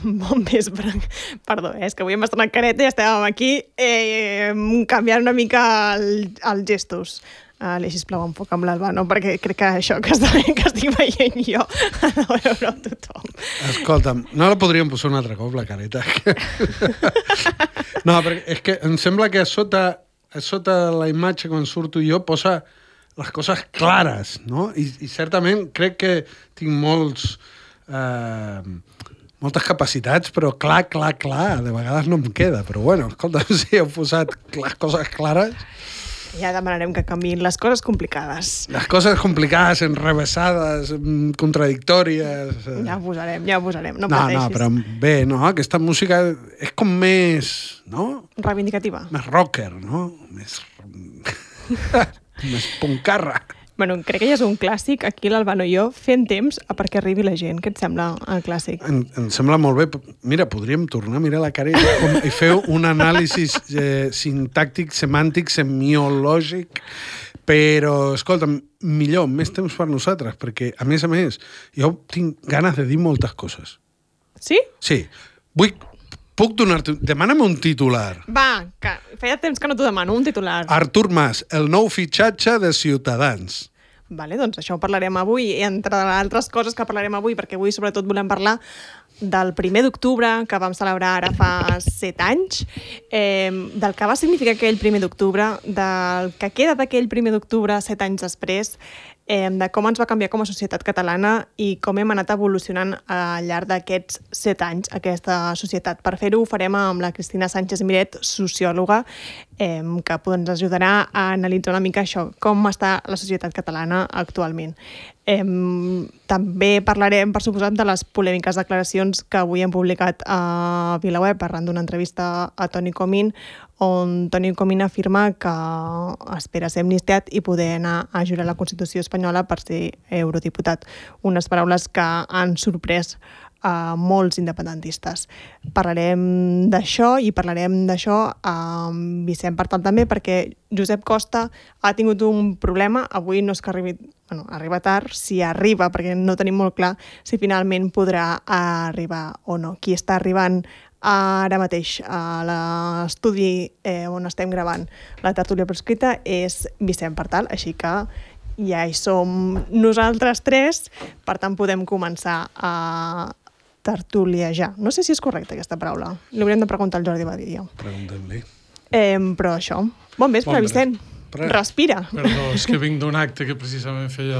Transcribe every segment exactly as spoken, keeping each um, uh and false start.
Bon vespre. Perdó, eh? És que avui hem estrenat careta i estàvem aquí eh, canviant una mica el, els gestos. Uh, li, sisplau, enfoca'm l'Albano, perquè crec que això que, està, que estic veient jo ha de veure tothom. Escolta'm, no la podríem posar un altre cop, la careta? No, perquè és que em sembla que a sota, a sota la imatge, quan surto jo, posa les coses clares, no? I, i certament crec que tinc molts... Eh, moltes capacitats, però clar, clar, clar, de vegades no em queda. Però bueno, escolta, si heu posat les coses clares... Ja demanarem que canviïn les coses complicades. Les coses complicades, enrevessades, contradictòries... Ja ho posarem, ja ho posarem, no, no pateixis. No, però bé, no, aquesta música és com més, no? Reivindicativa. Més rocker, no? Més... més puncarra. Bueno, crec que ja és un clàssic, aquí l'Albano i jo, fent temps a perquè arribi la gent. Què et sembla el clàssic? Em, em sembla molt bé. Mira, podríem tornar a mirar la cara i, com, i fer un anàlisi eh, sintàctic, semàntic, semiològic, però, escolta, millor, més temps per nosaltres, perquè, a més a més, jo tinc ganes de dir moltes coses. Sí? Sí. Vull... Puc donar-te... Demana'm un titular. Va, que feia temps que no t'ho demano, un titular. Artur Mas, el nou fitxatge de Ciutadans. Vale, doncs això ho parlarem avui, i entre altres coses que parlarem avui, perquè avui sobretot volem parlar del primer d'octubre, que vam celebrar ara fa set anys, eh, del que va significar aquell primer d'octubre, del que queda d'aquell primer d'octubre set anys després, eh, de com ens va canviar com a societat catalana i com hem anat evolucionant al llarg d'aquests set anys aquesta societat. Per fer-ho ho farem amb la Cristina Sánchez Miret, sociòloga, eh, que ens ajudarà a analitzar una mica això, com està la societat catalana actualment. Eh, també parlarem, per suposat, de les polèmiques declaracions que avui hem publicat a VilaWeb arran d'una entrevista a Toni Comín, on Toni Comín afirma que espera ser amnistiat i poder anar a jurar la Constitució espanyola per ser eurodiputat. Unes paraules que han sorprès a molts independentistes. Parlarem d'això i parlarem d'això amb Vicent Partal també, perquè Josep Costa ha tingut un problema. Avui no és que arribi, bueno, arriba tard, si arriba, perquè no tenim molt clar si finalment podrà arribar o no. Qui està arribant ara mateix a l'estudi eh, on estem gravant la tertúlia proscrita és Vicent Partal, així que ja hi som nosaltres tres, per tant podem començar a tertuliajar. No sé si és correcta aquesta paraula. Li hauríem de preguntar al Jordi Badia. Preguntem-li. Eh, però això. Bon vespre, bon Vicent. Pre... Respira. Perdó, és que vinc d'un acte que precisament feia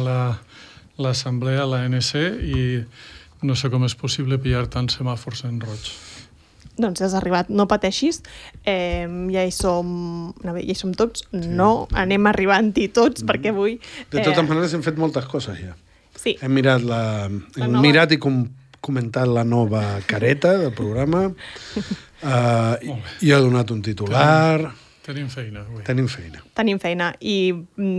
l'assemblea, la, la N C, i no sé com és possible pillar tants semàfors en roig. Doncs has arribat, no pateixis, eh, ja hi som, no, ja hi som tots, sí. No, anem arribant-hi tots, mm. perquè avui... Eh... De totes maneres hem fet moltes coses ja. Sí. Hem mirat, la, la hem nova... mirat i com, comentat la nova careta del programa, uh, i, i ha donat un titular... Tenim feina avui. Tenim feina. Tenim feina. I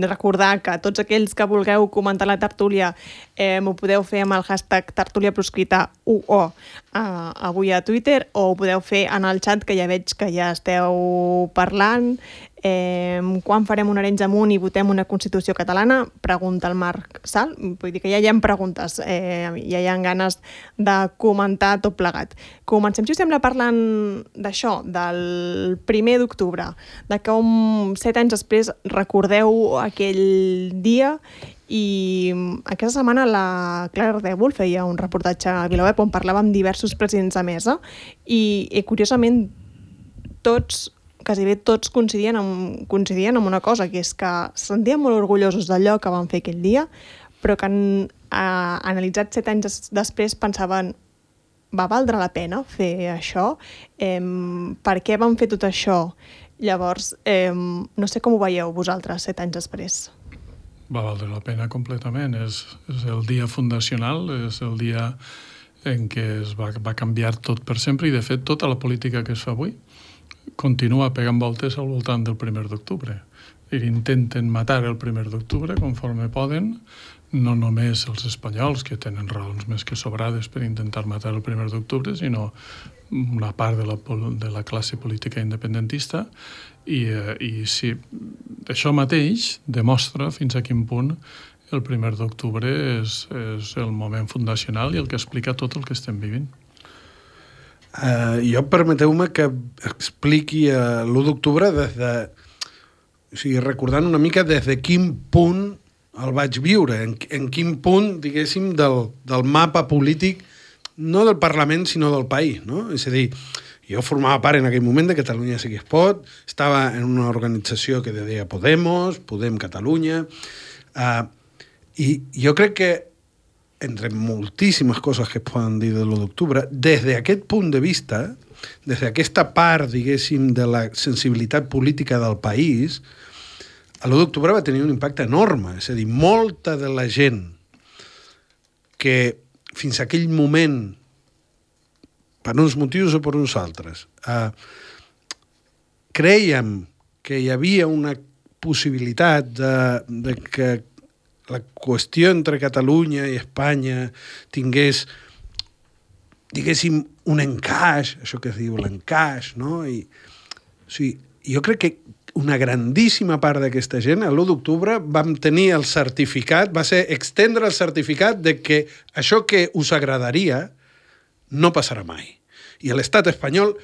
recordar que tots aquells que vulgueu comentar la tertúlia eh, m'ho podeu fer amb el hashtag tertúlia proscrita U O eh, avui a Twitter, o ho podeu fer en el xat, que ja veig que ja esteu parlant. Eh, quan farem un Arenys amunt i votem una Constitució catalana? Pregunta el Marc Sal. Vull dir que ja hi ha preguntes, eh, ja hi ha ganes de comentar tot plegat. Comencem, si us sembla, parlant d'això, del primer d'octubre, de com set anys després recordeu aquell dia. I aquesta setmana la Clara Ardèvol feia un reportatge a VilaWeb on parlava amb diversos presidents de mesa i, i curiosament tots quasi bé tots coincidien amb, coincidien amb una cosa, que és que se sentien molt orgullosos d'allò que van fer aquell dia, però que han eh, analitzat set anys després pensaven, va valdre la pena fer això? Eh, per què van fer tot això? Llavors, eh, no sé com ho veieu vosaltres set anys després. Va valdre la pena completament. És, és el dia fundacional, és el dia en què es va, va canviar tot per sempre, i de fet tota la política que es fa avui continua pegant voltes al voltant del primer d'octubre. intenten matar el primer d'octubre conforme poden, no només els espanyols, que tenen raons més que sobrades per intentar matar el primer d'octubre, sinó una part de la, de la classe política independentista, i, eh, i sí, això mateix demostra fins a quin punt el primer d'octubre és, és el moment fundacional i el que explica tot el que estem vivint. Uh, jo permeteu-me que expliqui uh, l'u d'octubre des de... O sigui, recordant una mica des de quin punt el vaig viure, en, en quin punt, diguéssim, del, del mapa polític, no del Parlament, sinó del país, no? És a dir, jo formava part en aquell moment de Catalunya sí que es pot, estava en una organització que deia Podemos, Podem Catalunya, uh, i jo crec que entre moltíssimes coses que es poden dir de l'u d'octubre, des d'aquest punt de vista, des d'aquesta part, diguéssim, de la sensibilitat política del país, l'u d'octubre va tenir un impacte enorme. És a dir, molta de la gent que fins a aquell moment, per uns motius o per uns altres, eh, creiem que hi havia una possibilitat de, de que la qüestió entre Catalunya i Espanya tingués, diguéssim, un encaix, això que es diu l'encaix, no? I, o sigui, jo crec que una grandíssima part d'aquesta gent, l'u d'octubre, vam tenir el certificat, va ser extendre el certificat de que això que us agradaria no passarà mai. I l'estat espanyol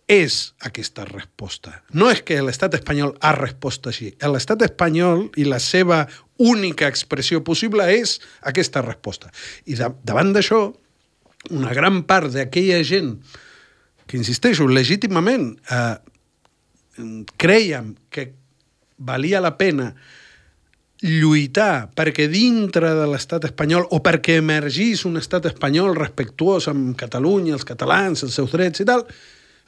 és aquesta resposta. No és que l'estat espanyol ha respost així. L'estat espanyol i la seva única expressió possible és aquesta resposta. I de, davant d'això, una gran part d'aquella gent que, insisteixo, legítimament eh, creiem que valia la pena lluitar perquè dintre de l'estat espanyol o perquè emergís un estat espanyol respectuós amb Catalunya, els catalans, els seus drets i tal,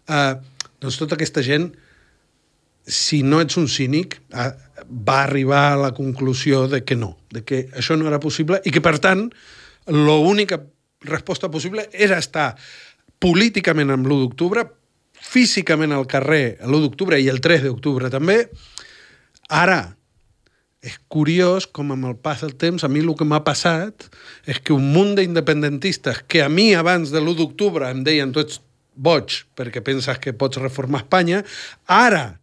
Uh, doncs tota aquesta gent, si no ets un cínic, uh, va arribar a la conclusió de que no, de que això no era possible i que, per tant, l'única resposta possible era estar políticament amb l'u d'octubre, físicament al carrer l'u d'octubre i el tres d'octubre també. Ara, és curiós com amb el pas del temps a mi el que m'ha passat és que un munt d'independentistes que a mi abans de l'u d'octubre em deien tu ets boig perquè penses que pots reformar Espanya, ara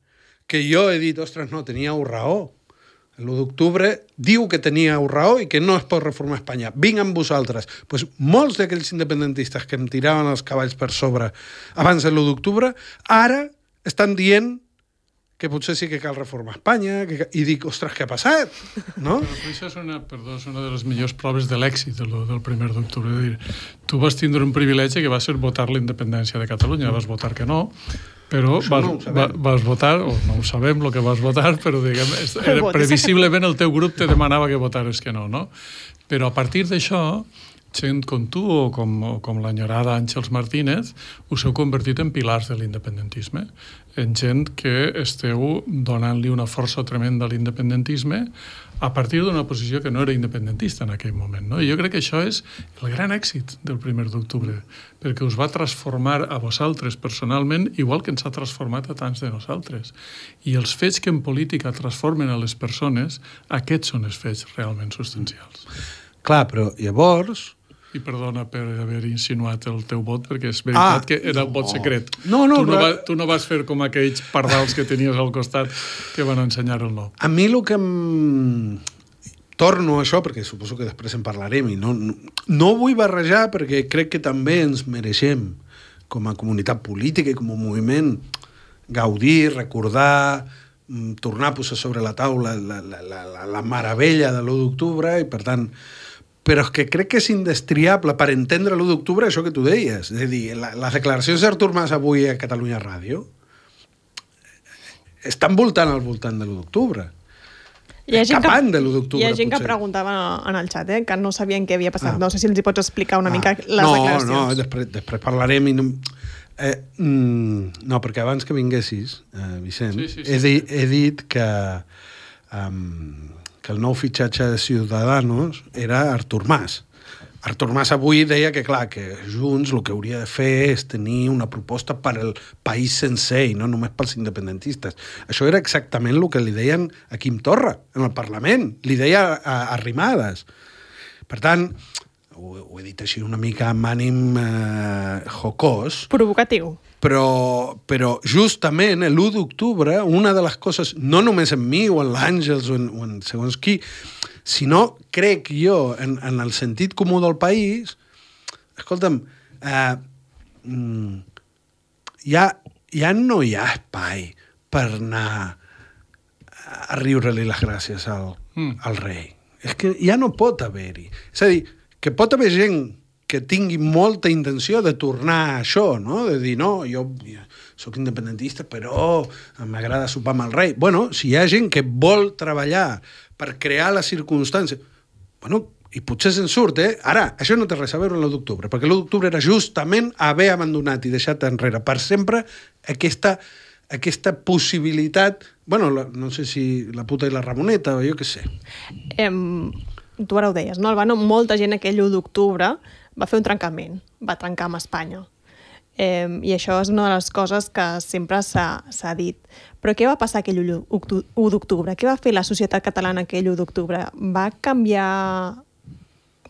que jo he dit, ostres, no, teníeu raó. L'u d'octubre diu que teníeu raó i que no es pot reformar Espanya. Vinc amb vosaltres. Pues molts d'aquells independentistes que em tiraven els cavalls per sobre abans de l'u d'octubre, ara estan dient que potser sí que cal reformar Espanya, que... i dic, ostres, què ha passat? No? Però això és una, perdó, és una de les millors proves de l'èxit del, del primer d'octubre. És dir, tu vas tindre un privilegi que va ser votar la independència de Catalunya. Vas votar que no, però vas, no va, vas votar, o no ho sabem el que vas votar, però diguem, era, previsiblement el teu grup te demanava que votares que no, no? Però a partir d'això, gent com tu o com, o com l'enyorada Àngels Martínez, us heu convertit en pilars de l'independentisme, en gent que esteu donant-li una força tremenda a l'independentisme a partir d'una posició que no era independentista en aquell moment, no? I jo crec que això és el gran èxit del primer d'octubre, perquè us va transformar a vosaltres personalment igual que ens ha transformat a tants de nosaltres. I els fets que en política transformen a les persones, aquests són els fets realment substancials. Clar, però llavors... I perdona per haver insinuat el teu vot, perquè és veritat ah, que era un vot secret. No, no, tu, no però... va, tu no vas fer com aquells pardals que tenies al costat que van ensenyar el no. A mi el que em... Torno a això, perquè suposo que després en parlarem, i no, no, no vull barrejar perquè crec que també ens mereixem, com a comunitat política i com a moviment, gaudir, recordar, tornar a posar sobre la taula la, la, la, la, la meravella de l'u d'octubre, i per tant... Però és que crec que és indestriable per entendre l'u d'octubre això que tu deies. És a dir, la, les declaracions d'Artur Mas avui a Catalunya Ràdio estan voltant al voltant de l'u d'octubre. Escapant de l'u d'octubre, hi ha gent potser. que preguntava en el xat, eh, que no sabien què havia passat. Ah. No sé si els hi pots explicar una ah. mica les no, declaracions. No, després, després parlarem i no... Eh, mm, no, perquè abans que vinguessis, eh, Vicent, sí, sí, sí, he, di, sí. he dit que... Um, que el nou fitxatge de Ciudadanos era Artur Mas. Artur Mas avui deia que, clar, que Junts el que hauria de fer és tenir una proposta per al país sencer i no només pels independentistes. Això era exactament el que li deien a Quim Torra en el Parlament. Li deia a Arrimadas. Per tant, ho, ho he dit així una mica amb ànim eh, jocós. Provocatiu. Però, però justament l'u d'octubre, una de les coses, no només en mi o en l'Àngels o en, o en segons qui, sinó, crec jo, en, en el sentit comú del país, escolta'm, eh, ja, ja no hi ha espai per anar a riure-li les gràcies al, mm. al rei. És que ja no pot haver-hi. És a dir, que pot haver gent que tingui molta intenció de tornar a això, no? De dir, no, jo, jo soc independentista, però m'agrada sopar amb el rei. Bueno, si hi ha gent que vol treballar per crear les circumstàncies, bueno, i potser se'n surt, eh? Ara, això no té res a veure amb l'u d'octubre, perquè l'u d'octubre era justament haver abandonat i deixat enrere per sempre aquesta, aquesta possibilitat, bueno, la, no sé si la puta i la Ramoneta, o jo què sé. Em, tu ara ho deies, no, Albano? Molta gent aquell u d'octubre va fer un trencament, va trencar amb Espanya. Eh, I això és una de les coses que sempre s'ha dit. Però què va passar aquell u d'octubre? Què va fer la societat catalana aquell u d'octubre? Va canviar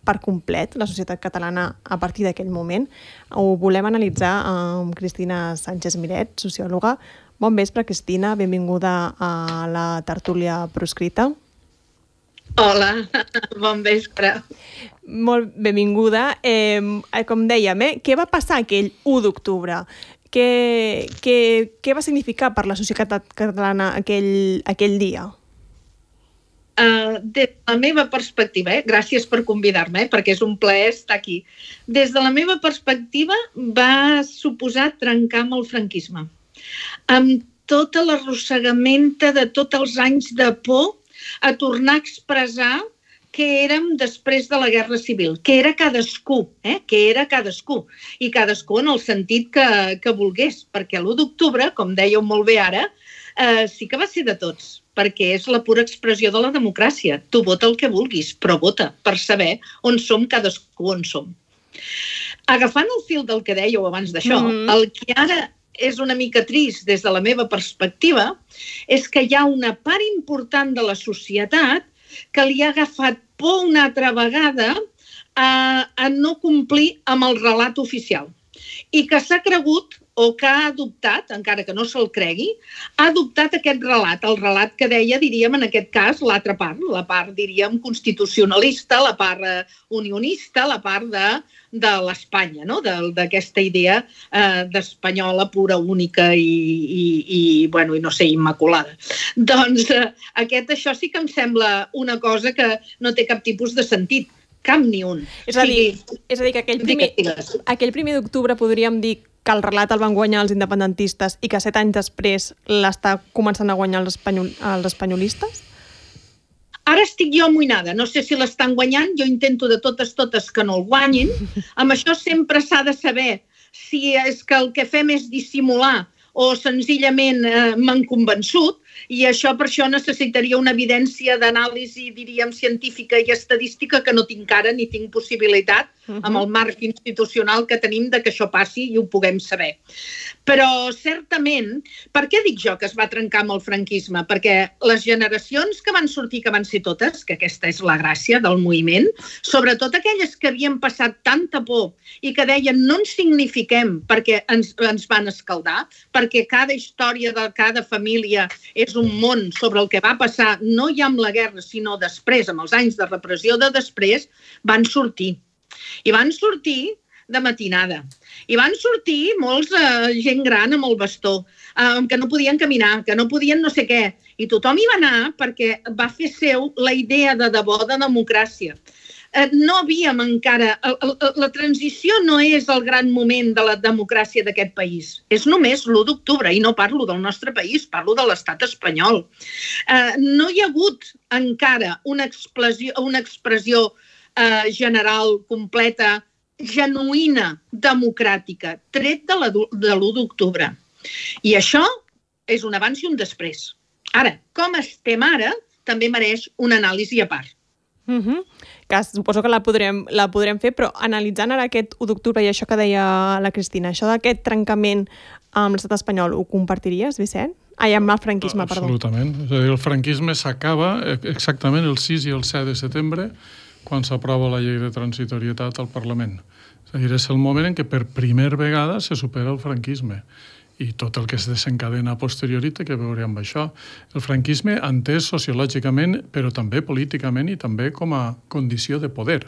per complet la societat catalana a partir d'aquell moment? Ho volem analitzar amb Cristina Sánchez Miret, sociòloga. Bon vespre, Cristina. Benvinguda a la tertúlia proscrita. Hola, bon vespre. Molt benvinguda. Eh, com dèiem, eh, què va passar aquell u d'octubre? Què, què, què va significar per la societat catalana aquell, aquell dia? Uh, des de la meva perspectiva, eh, gràcies per convidar-me, eh, perquè és un plaer estar aquí. Des de la meva perspectiva va suposar trencar amb el franquisme. Amb tota l'arrossegamenta de tots els anys de por a tornar a expressar què érem després de la Guerra Civil, què era cadascú, eh? què era cadascú, i cadascú en el sentit que, que volgués, perquè l'u d'octubre, com dèieu molt bé ara, eh, sí que va ser de tots, perquè és la pura expressió de la democràcia. Tu vota el que vulguis, però vota per saber on som cadascú on som. Agafant el fil del que dèieu abans d'això, mm-hmm. el que ara és una mica trist des de la meva perspectiva és que hi ha una part important de la societat que li ha agafat por una altra vegada a, a no complir amb el relat oficial i que s'ha cregut o que ha adoptat, encara que no se'l cregui, ha adoptat aquest relat, el relat que deia, diríem, en aquest cas, l'altra part, la part, diríem, constitucionalista, la part unionista, la part de, de l'Espanya, no? d'aquesta idea eh, d'espanyola pura, única i, i, i, bueno, i no sé, immaculada. Doncs eh, aquest, això sí que em sembla una cosa que no té cap tipus de sentit, cap ni un. És a dir, sí, és a dir que aquell primer, aquell primer d'octubre podríem dir que el relat el van guanyar els independentistes i que set anys després l'està començant a guanyar els, espanyol, els espanyolistes? Ara estic jo amoïnada, no sé si l'estan guanyant, jo intento de totes, totes que no el guanyin. Amb això sempre s'ha de saber si és que el que fem és dissimular o senzillament eh, m'han convençut, i això per això necessitaria una evidència d'anàlisi, diríem, científica i estadística que no tinc ara ni tinc possibilitat uh-huh. amb el marc institucional que tenim de que això passi i ho puguem saber. Però, certament, per què dic jo que es va trencar amb el franquisme? Perquè les generacions que van sortir, que van ser totes, que aquesta és la gràcia del moviment, sobretot aquelles que havien passat tanta por i que deien no ens signifiquem perquè ens, ens van escaldar, perquè cada història de cada família és un món sobre el que va passar no ja amb la guerra, sinó després, amb els anys de repressió de després, van sortir. I van sortir de matinada. I van sortir molts eh, gent gran amb el bastó, eh, que no podien caminar, que no podien no sé què. I tothom hi va anar perquè va fer seu la idea de debò de democràcia. Eh, no havíem encara... El, el, la transició no és el gran moment de la democràcia d'aquest país. És només l'u d'octubre, i no parlo del nostre país, parlo de l'estat espanyol. Eh, no hi ha hagut encara una expressió, una expressió eh, general, completa, genuïna, democràtica, tret de, la, de l'u d'octubre. I això és un abans i un després. Ara, com estem ara, també mereix una anàlisi a part. Uh-huh. Que suposo que la podrem, la podrem fer, però analitzant ara aquest u d'octubre i això que deia la Cristina, això d'aquest trencament amb l'estat espanyol, ho compartiries, Vicent? Ai, amb el franquisme, perdó. Absolutament. És a dir, el franquisme s'acaba exactament el sis i el set de setembre, quan s'aprova la llei de transitorietat al Parlament. És a dir, és el moment en què per primera vegada se supera el franquisme. I tot el que es desencadena a posteriori té que veure amb això. El franquisme entès sociològicament, però també políticament i també com a condició de poder.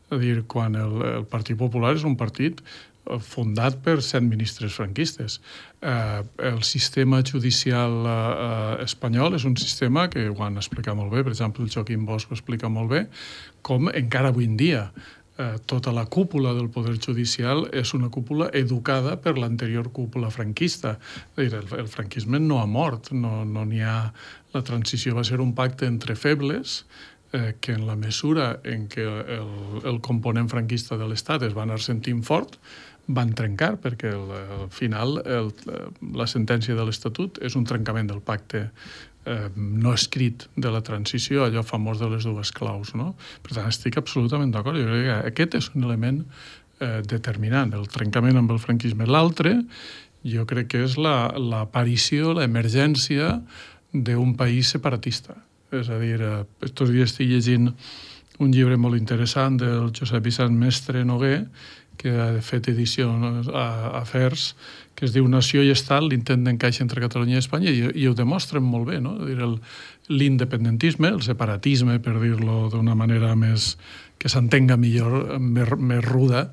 És a dir, quan el, el Partit Popular és un partit fundat per set ministres franquistes. Eh, el sistema judicial eh, espanyol és un sistema que ho han explicat molt bé, per exemple, el Joaquim Bosch ho explica molt bé, com encara avui en dia Eh, tota la cúpula del poder judicial és una cúpula educada per l'anterior cúpula franquista. És a dir, el, el franquisme no ha mort, no no n'hi ha... La transició va ser un pacte entre febles eh, que en la mesura en què el, el component franquista de l'Estat es va anar sentint fort, van trencar, perquè el, al final el, la sentència de l'Estatut és un trencament del pacte Eh, no escrit de la transició, allò famós de les dues claus, no? Per tant, estic absolutament d'acord. Jo crec que aquest és un element eh, determinant, el trencament amb el franquisme. L'altre, jo crec que és la, l'aparició, l'emergència d'un país separatista. És a dir, eh, estos dies estic llegint un llibre molt interessant del Josep Vicent Mestre Noguer, que ha fet edició a Afers, que es diu Nació i Estat, l'intent d'encaix entre Catalunya i Espanya, i, i ho demostren molt bé, no? Dir, el, l'independentisme, el separatisme, per dir-lo d'una manera més que s'entenga millor, més, més ruda,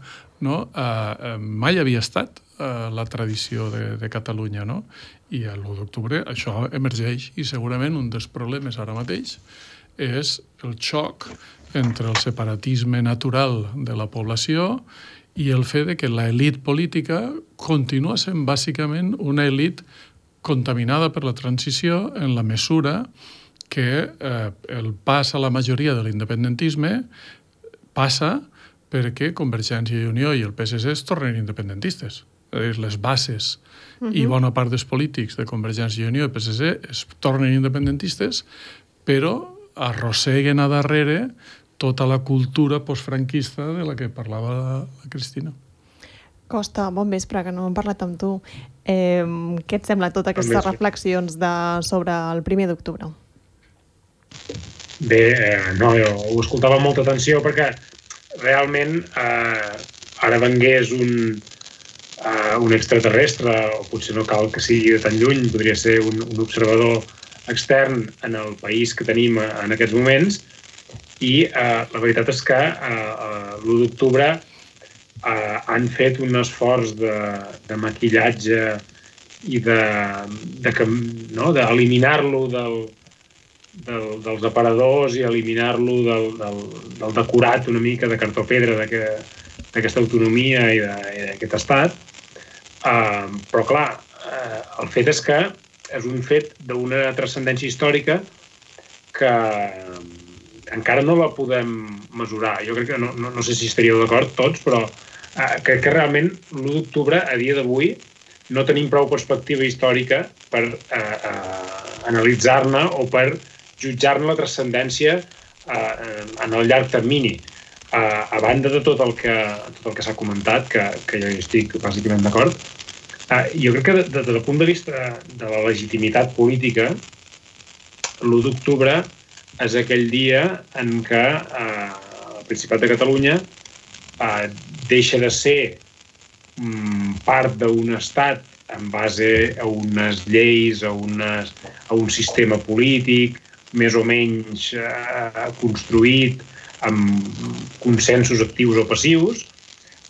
no? Uh, mai havia estat uh, la tradició de, de Catalunya, no? I l'u d'octubre això emergeix, i segurament un dels problemes ara mateix és el xoc entre el separatisme natural de la població i el fet de que l'elit política continua sent bàsicament una elit contaminada per la transició en la mesura que eh, el pas a la majoria de l'independentisme passa perquè Convergència i Unió i el P S C es tornen independentistes. És a dir, les bases uh-huh. i bona part dels polítics de Convergència i Unió i P S C es tornen independentistes, però arrosseguen a darrere tota la cultura postfranquista de la que parlava la, la Cristina. Costa, bon vespre, que no hem parlat amb tu. Eh, què et sembla totes aquestes bon reflexions de, sobre el primer d'octubre? Bé, eh, no, jo ho escoltava amb molta atenció perquè realment eh, ara vengués un, eh, un extraterrestre, o potser no cal que sigui de tan lluny, podria ser un, un observador extern en el país que tenim en aquests moments, i eh, la veritat és que eh, l'u d'octubre eh, han fet un esforç de, de maquillatge i de, de, no, d'eliminar-lo del, del, dels aparadors i eliminar-lo del, del, del decorat una mica de cartó-pedra d'aquesta autonomia i d'aquest estat. Eh, però clar, eh, el fet és que és un fet d'una transcendència històrica que encara no la podem mesurar. Jo crec que, no, no, no sé si estaríeu d'acord tots, però eh, crec que realment l'u d'octubre, a dia d'avui, no tenim prou perspectiva històrica per eh, eh, analitzar-ne o per jutjar-ne la transcendència eh, en el llarg termini. Eh, a banda de tot el que, tot el que s'ha comentat, que, que jo hi estic bàsicament d'acord, eh, jo crec que des de, del punt de vista de la legitimitat política, l'u d'octubre és aquell dia en què eh, el Principat de Catalunya eh, deixa de ser mm, part d'un estat en base a unes lleis, a, unes, a un sistema polític més o menys eh, construït amb consensos actius o passius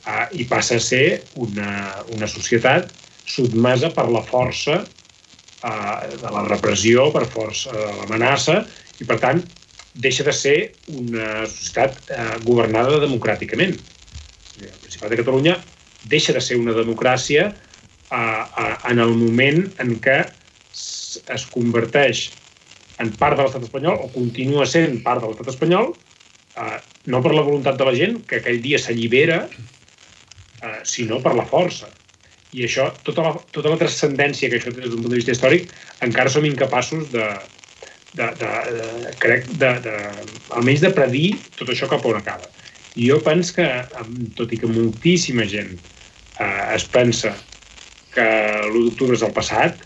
eh, i passa a ser una, una societat sotmesa per la força eh, de la repressió, per força de l'amenaça, i, per tant, deixa de ser una societat eh, governada democràticament. El Principat de Catalunya deixa de ser una democràcia eh, eh, en el moment en què es converteix en part de l'estat espanyol o continua sent part de l'estat espanyol, eh, no per la voluntat de la gent, que aquell dia s'allibera, eh, sinó per la força. I això, tota la, tota la transcendència que això té des d'un punt de vista històric, encara som incapaços de de, de, de, crec, de, de, almenys de predir tot això cap on acaba. I jo penso que, tot i que moltíssima gent eh, es pensa que l'u d'octubre és el passat,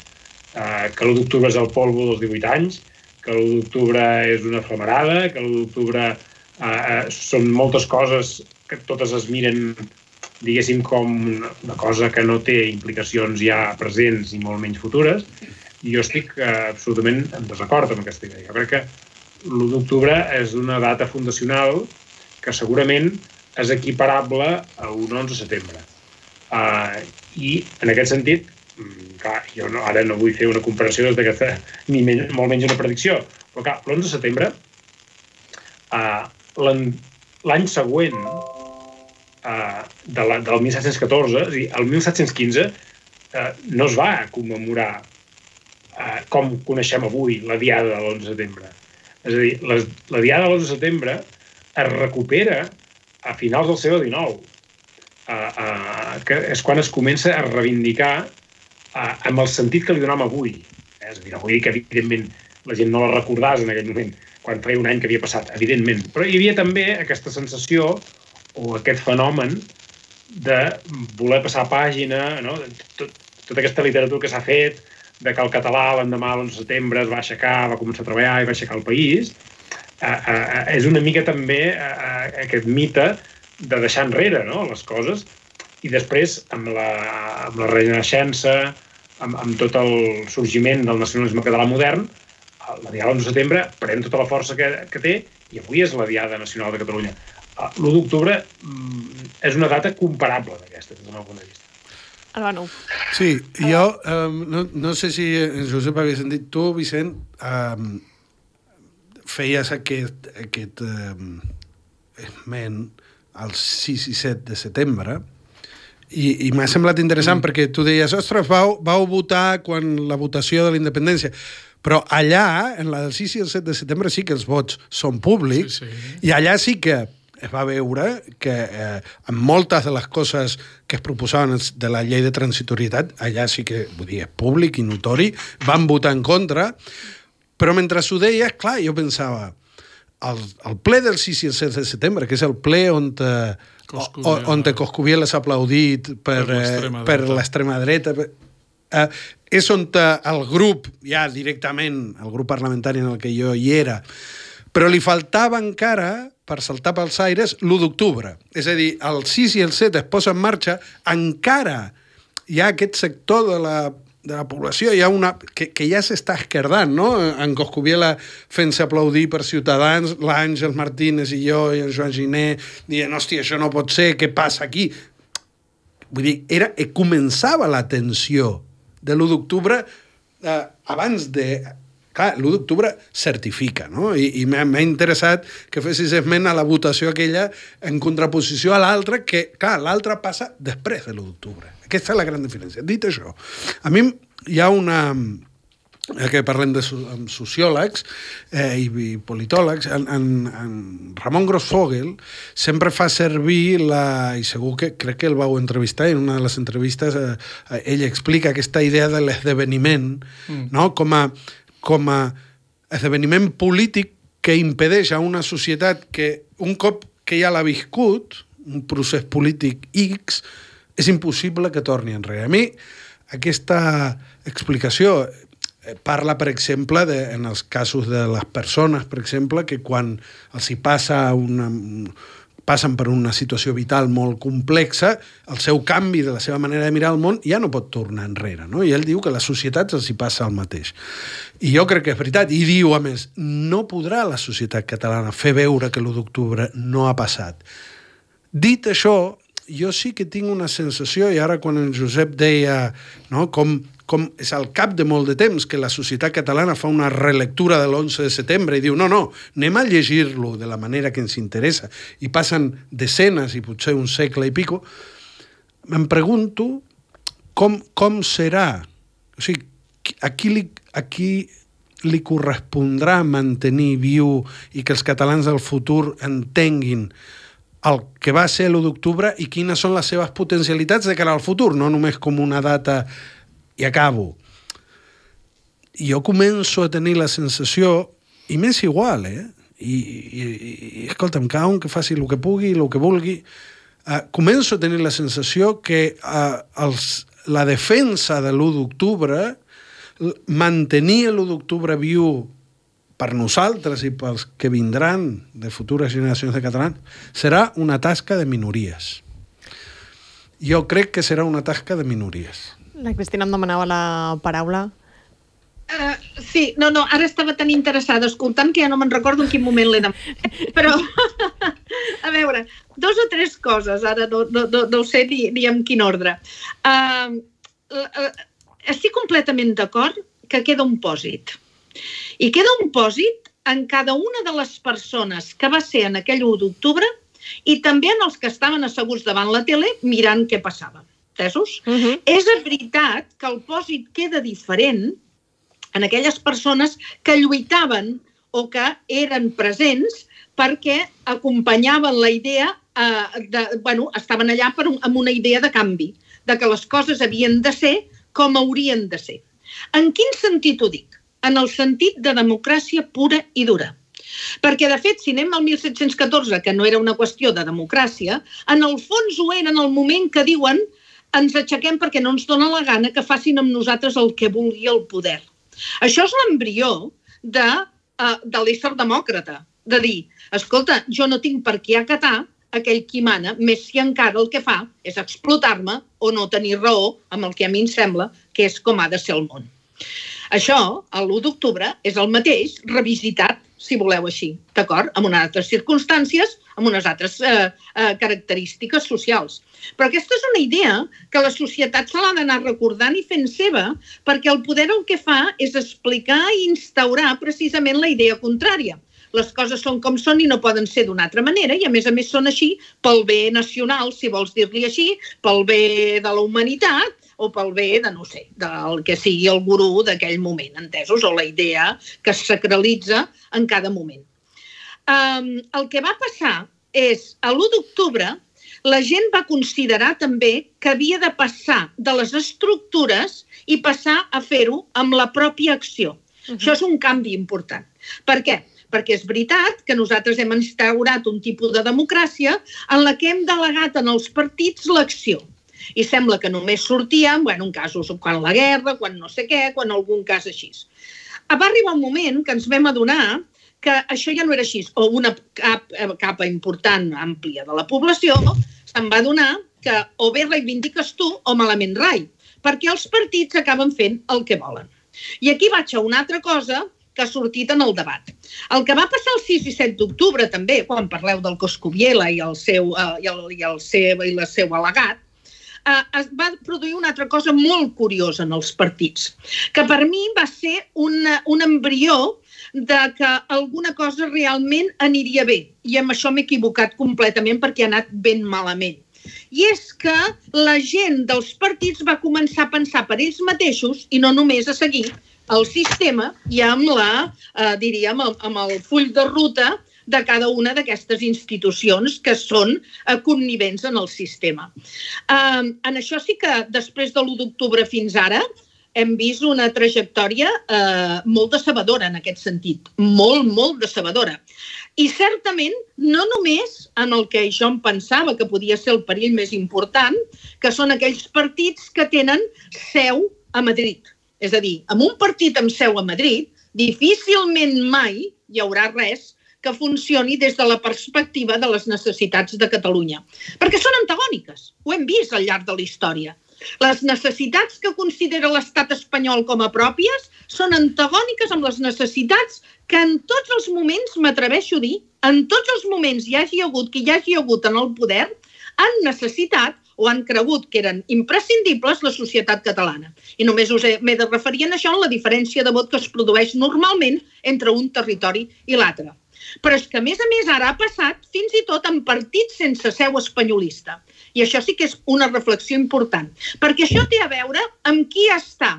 eh, que l'u d'octubre és el polvo dels divuit anys, que l'u d'octubre és una flamarada, que l'u d'octubre eh, són moltes coses que totes es miren, diguéssim, com una cosa que no té implicacions ja presents i molt menys futures, i jo estic eh, absolutament en desacord amb aquesta idea. Jo crec que l'u d'octubre és una data fundacional que segurament és equiparable a un onze de setembre. Uh, I en aquest sentit, clar, jo no, ara no vull fer una comparació des d'aquesta, ni men molt menys una predicció, però clar, l'onze de setembre, uh, l'any següent uh, de la, del mil set-cents catorze, és a dir, el mil set-cents quinze, uh, no es va commemorar uh, com coneixem avui la diada de l'onze de setembre. És a dir, la, la diada de l'onze de setembre es recupera a finals del segle dinou, uh, uh, que és quan es comença a reivindicar uh, amb el sentit que li donam avui. Eh? És a dir, no vull dir que, evidentment, la gent no la recordàs en aquell moment, quan feia un any que havia passat, evidentment. Però hi havia també aquesta sensació o aquest fenomen de voler passar pàgina, no? Tot, tota aquesta literatura que s'ha fet, de que el català l'endemà de l'onze de setembre es va aixecar, va començar a treballar i va aixecar el país, Uh, uh, és una mica també uh, aquest mite de deixar enrere, no?, les coses, i després amb la, amb la renaixença, amb, amb tot el sorgiment del nacionalisme català modern, la diada de l'onze de setembre pren tota la força que, que té i avui és la diada nacional de Catalunya. Uh, l'u d'octubre um, és una data comparable d'aquesta, des del meu punt de vista. Albano. Sí, jo um, no, no sé si Josep havia sentit tu, Vicent, um, feies aquest, aquest eh, esment el sis i set de setembre i, i m'ha semblat interessant mm. perquè tu deies, ostres, vau, vau votar quan la votació de la independència, però allà, en la del sis i el set de setembre, sí que els vots són públics, sí, sí. I allà sí que es va veure que eh, en moltes de les coses que es proposaven de la llei de transitorietat, allà sí que, vull dir, és públic i notori, van votar en contra. Però mentre ho deies, clar, jo pensava, el, el ple del sis i el set de setembre, que és el ple on, te, on, on te Coscubiela s'ha aplaudit per, per l'extrema dreta, per, eh, és on te, el grup, ja directament, el grup parlamentari en el que jo hi era, però li faltava encara, per saltar pels aires, l'u d'octubre. És a dir, el sis i el set es posa en marxa, encara hi ha aquest sector de la de la població, hi ha una que, que ja s'està esquerdant, no? En Coscubiela fent-se aplaudir per Ciutadans, l'Àngel Martínez i jo i en Joan Giné dient, hòstia, això no pot ser, què passa aquí? Vull dir, era, començava la tensió de l'u d'octubre eh, abans de... Clar, l'u d'octubre certifica, no? I, i m'ha interessat que fessis esment a la votació aquella en contraposició a l'altra, que, clar, l'altra passa després de l'u d'octubre. Aquesta és la gran diferència. Dit això, a mi hi ha una... que parlem de amb sociòlegs eh, i, i politòlegs, en, en, en Ramon Grossfogel sempre fa servir la... i segur que crec que el vau entrevistar, en una de les entrevistes eh, ell explica aquesta idea de l'esdeveniment, mm. no? com a com a esdeveniment polític que impedeix a una societat que un cop que ja l'ha viscut, un procés polític X, és impossible que torni enrere. A mi, aquesta explicació parla, per exemple, de, en els casos de les persones, per exemple, que quan els hi passa una... passen per una situació vital molt complexa, el seu canvi de la seva manera de mirar el món ja no pot tornar enrere, no? I ell diu que a les societats els hi passa el mateix. I jo crec que és veritat. I diu, a més, no podrà la societat catalana fer veure que l'u d'octubre no ha passat. Dit això, jo sí que tinc una sensació, i ara quan en Josep deia, no, com, com és al cap de molt de temps que la societat catalana fa una relectura de l'onze de setembre i diu, no, no, anem a llegir-lo de la manera que ens interessa, i passen desenes i potser un segle i pico, em pregunto com, com serà, o sigui, a qui li, a qui li correspondrà mantenir viu i que els catalans del futur entenguin el que va ser l'u d'octubre i quines són les seves potencialitats de cara al futur, no només com una data i acabo. Jo començo a tenir la sensació, i m'és igual, eh? I, i, i escolta'm, cada un que faci el que pugui, el que vulgui. Uh, començo a tenir la sensació que uh, els, la defensa de l'u d'octubre, mantenir l'u d'octubre viu per nosaltres i pels que vindran de futures generacions de catalans, serà una tasca de minories. Jo crec que serà una tasca de minories. La Cristina em demanava la paraula. Uh, sí, no, no, ara estava tan interessada escoltant que ja no me'n recordo en quin moment l'he demanat. Però, a veure, dos o tres coses, ara no, no, no, no sé ni, ni en quin ordre. Uh, uh, estic completament d'acord que queda un pòsit. I queda un pòsit en cada una de les persones que va ser en aquell u d'octubre i també en els que estaven asseguts davant la tele mirant què passava. Entesos? Uh-huh. És veritat que el pòsit queda diferent en aquelles persones que lluitaven o que eren presents perquè acompanyaven la idea, eh, de, bueno, estaven allà per un, amb una idea de canvi, de que les coses havien de ser com haurien de ser. En quin sentit ho dic? En el sentit de democràcia pura i dura. Perquè, de fet, si anem al mil set-cents catorze, que no era una qüestió de democràcia, en el fons ho era en el moment que diuen ens aixequem perquè no ens dona la gana que facin amb nosaltres el que vulgui el poder. Això és l'embrió de, uh, de l'ésser demòcrata, de dir, escolta, jo no tinc per què acatar aquell qui mana, més si encara el que fa és explotar-me o no tenir raó amb el que a mi em sembla que és com ha de ser el món. Això, l'u d'octubre, és el mateix revisitat, si voleu així, d'acord? Amb unes altres circumstàncies, amb unes altres eh, eh, característiques socials. Però aquesta és una idea que la societat se l'ha d'anar recordant i fent seva, perquè el poder el que fa és explicar i instaurar precisament la idea contrària. Les coses són com són i no poden ser d'una altra manera i, a més a més, són així pel bé nacional, si vols dir-li així, pel bé de la humanitat o pel bé de, no sé, del que sigui el gurú d'aquell moment, entesos? O la idea que es sacralitza en cada moment. Um, el que va passar és, a l'u d'octubre, la gent va considerar també que havia de passar de les estructures i passar a fer-ho amb la pròpia acció. Uh-huh. Això és un canvi important. Per què? Perquè és veritat que nosaltres hem instaurat un tipus de democràcia en la que hem delegat en els partits l'acció. I sembla que només sortíem, bueno, en casos quan la guerra, quan no sé què, quan algun cas així. Va arribar un moment que ens vam adonar que això ja no era així, o una capa important, àmplia de la població, se'n va adonar que o bé reivindiques tu o malament rai, perquè els partits acaben fent el que volen. I aquí vaig a una altra cosa que ha sortit en el debat. El que va passar el sis i set d'octubre també, quan parleu del Coscubiela i el seu, uh, i el, i el seu, i el seu al·legat, uh, es va produir una altra cosa molt curiosa en els partits, que per mi va ser un, un embrió de que alguna cosa realment aniria bé. I amb això m'he equivocat completament perquè ha anat ben malament. I és que la gent dels partits va començar a pensar per ells mateixos i no només a seguir el sistema i amb, la, eh, diríem, amb el full de ruta de cada una d'aquestes institucions que són eh, connivents en el sistema. Eh, en això sí que després de l'u d'octubre fins ara hem vist una trajectòria eh, molt decebedora en aquest sentit, molt, molt decebedora. I certament no només en el que jo em pensava que podia ser el perill més important, que són aquells partits que tenen seu a Madrid. És a dir, amb un partit amb seu a Madrid, difícilment mai hi haurà res que funcioni des de la perspectiva de les necessitats de Catalunya. Perquè són antagòniques, ho hem vist al llarg de la història. Les necessitats que considera l'estat espanyol com a pròpies són antagòniques amb les necessitats que en tots els moments, m'atreveixo a dir, en tots els moments hi hagi hagut, qui hi hagi hagut en el poder, han necessitat o han cregut que eren imprescindibles la societat catalana. I només us m'he de referir a això en la diferència de vot que es produeix normalment entre un territori i l'altre. Però és que, a més a més, ara ha passat fins i tot en partits sense seu espanyolista. I això sí que és una reflexió important, perquè això té a veure amb qui està,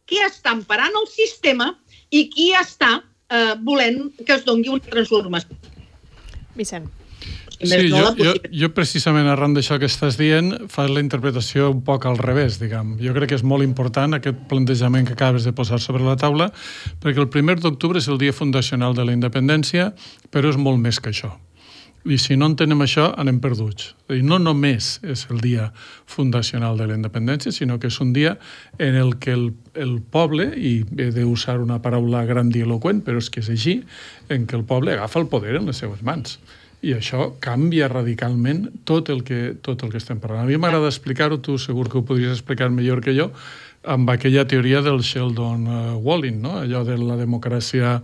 qui està emparant el sistema i qui està eh, volent que es doni una transformació. Vicent. si més sí, no jo, la jo, possibilitat. jo precisament arran d'això que estàs dient fas la interpretació un poc al revés, diguem. Jo crec que és molt important aquest plantejament que acabes de posar sobre la taula, perquè el primer d'octubre és el dia fundacional de la independència, però és molt més que això. I si no entenem això, anem perduts. I no només és el dia fundacional de la independència, sinó que és un dia en el que el, el poble, i he d'usar una paraula grandiloquent, però és que és així, en què el poble agafa el poder en les seues mans. I això canvia radicalment tot el que, tot el que estem parlant. A mi m'agrada explicar-ho, tu segur que ho podries explicar millor que jo, amb aquella teoria del Sheldon uh, Walling, no? Allò de la democràcia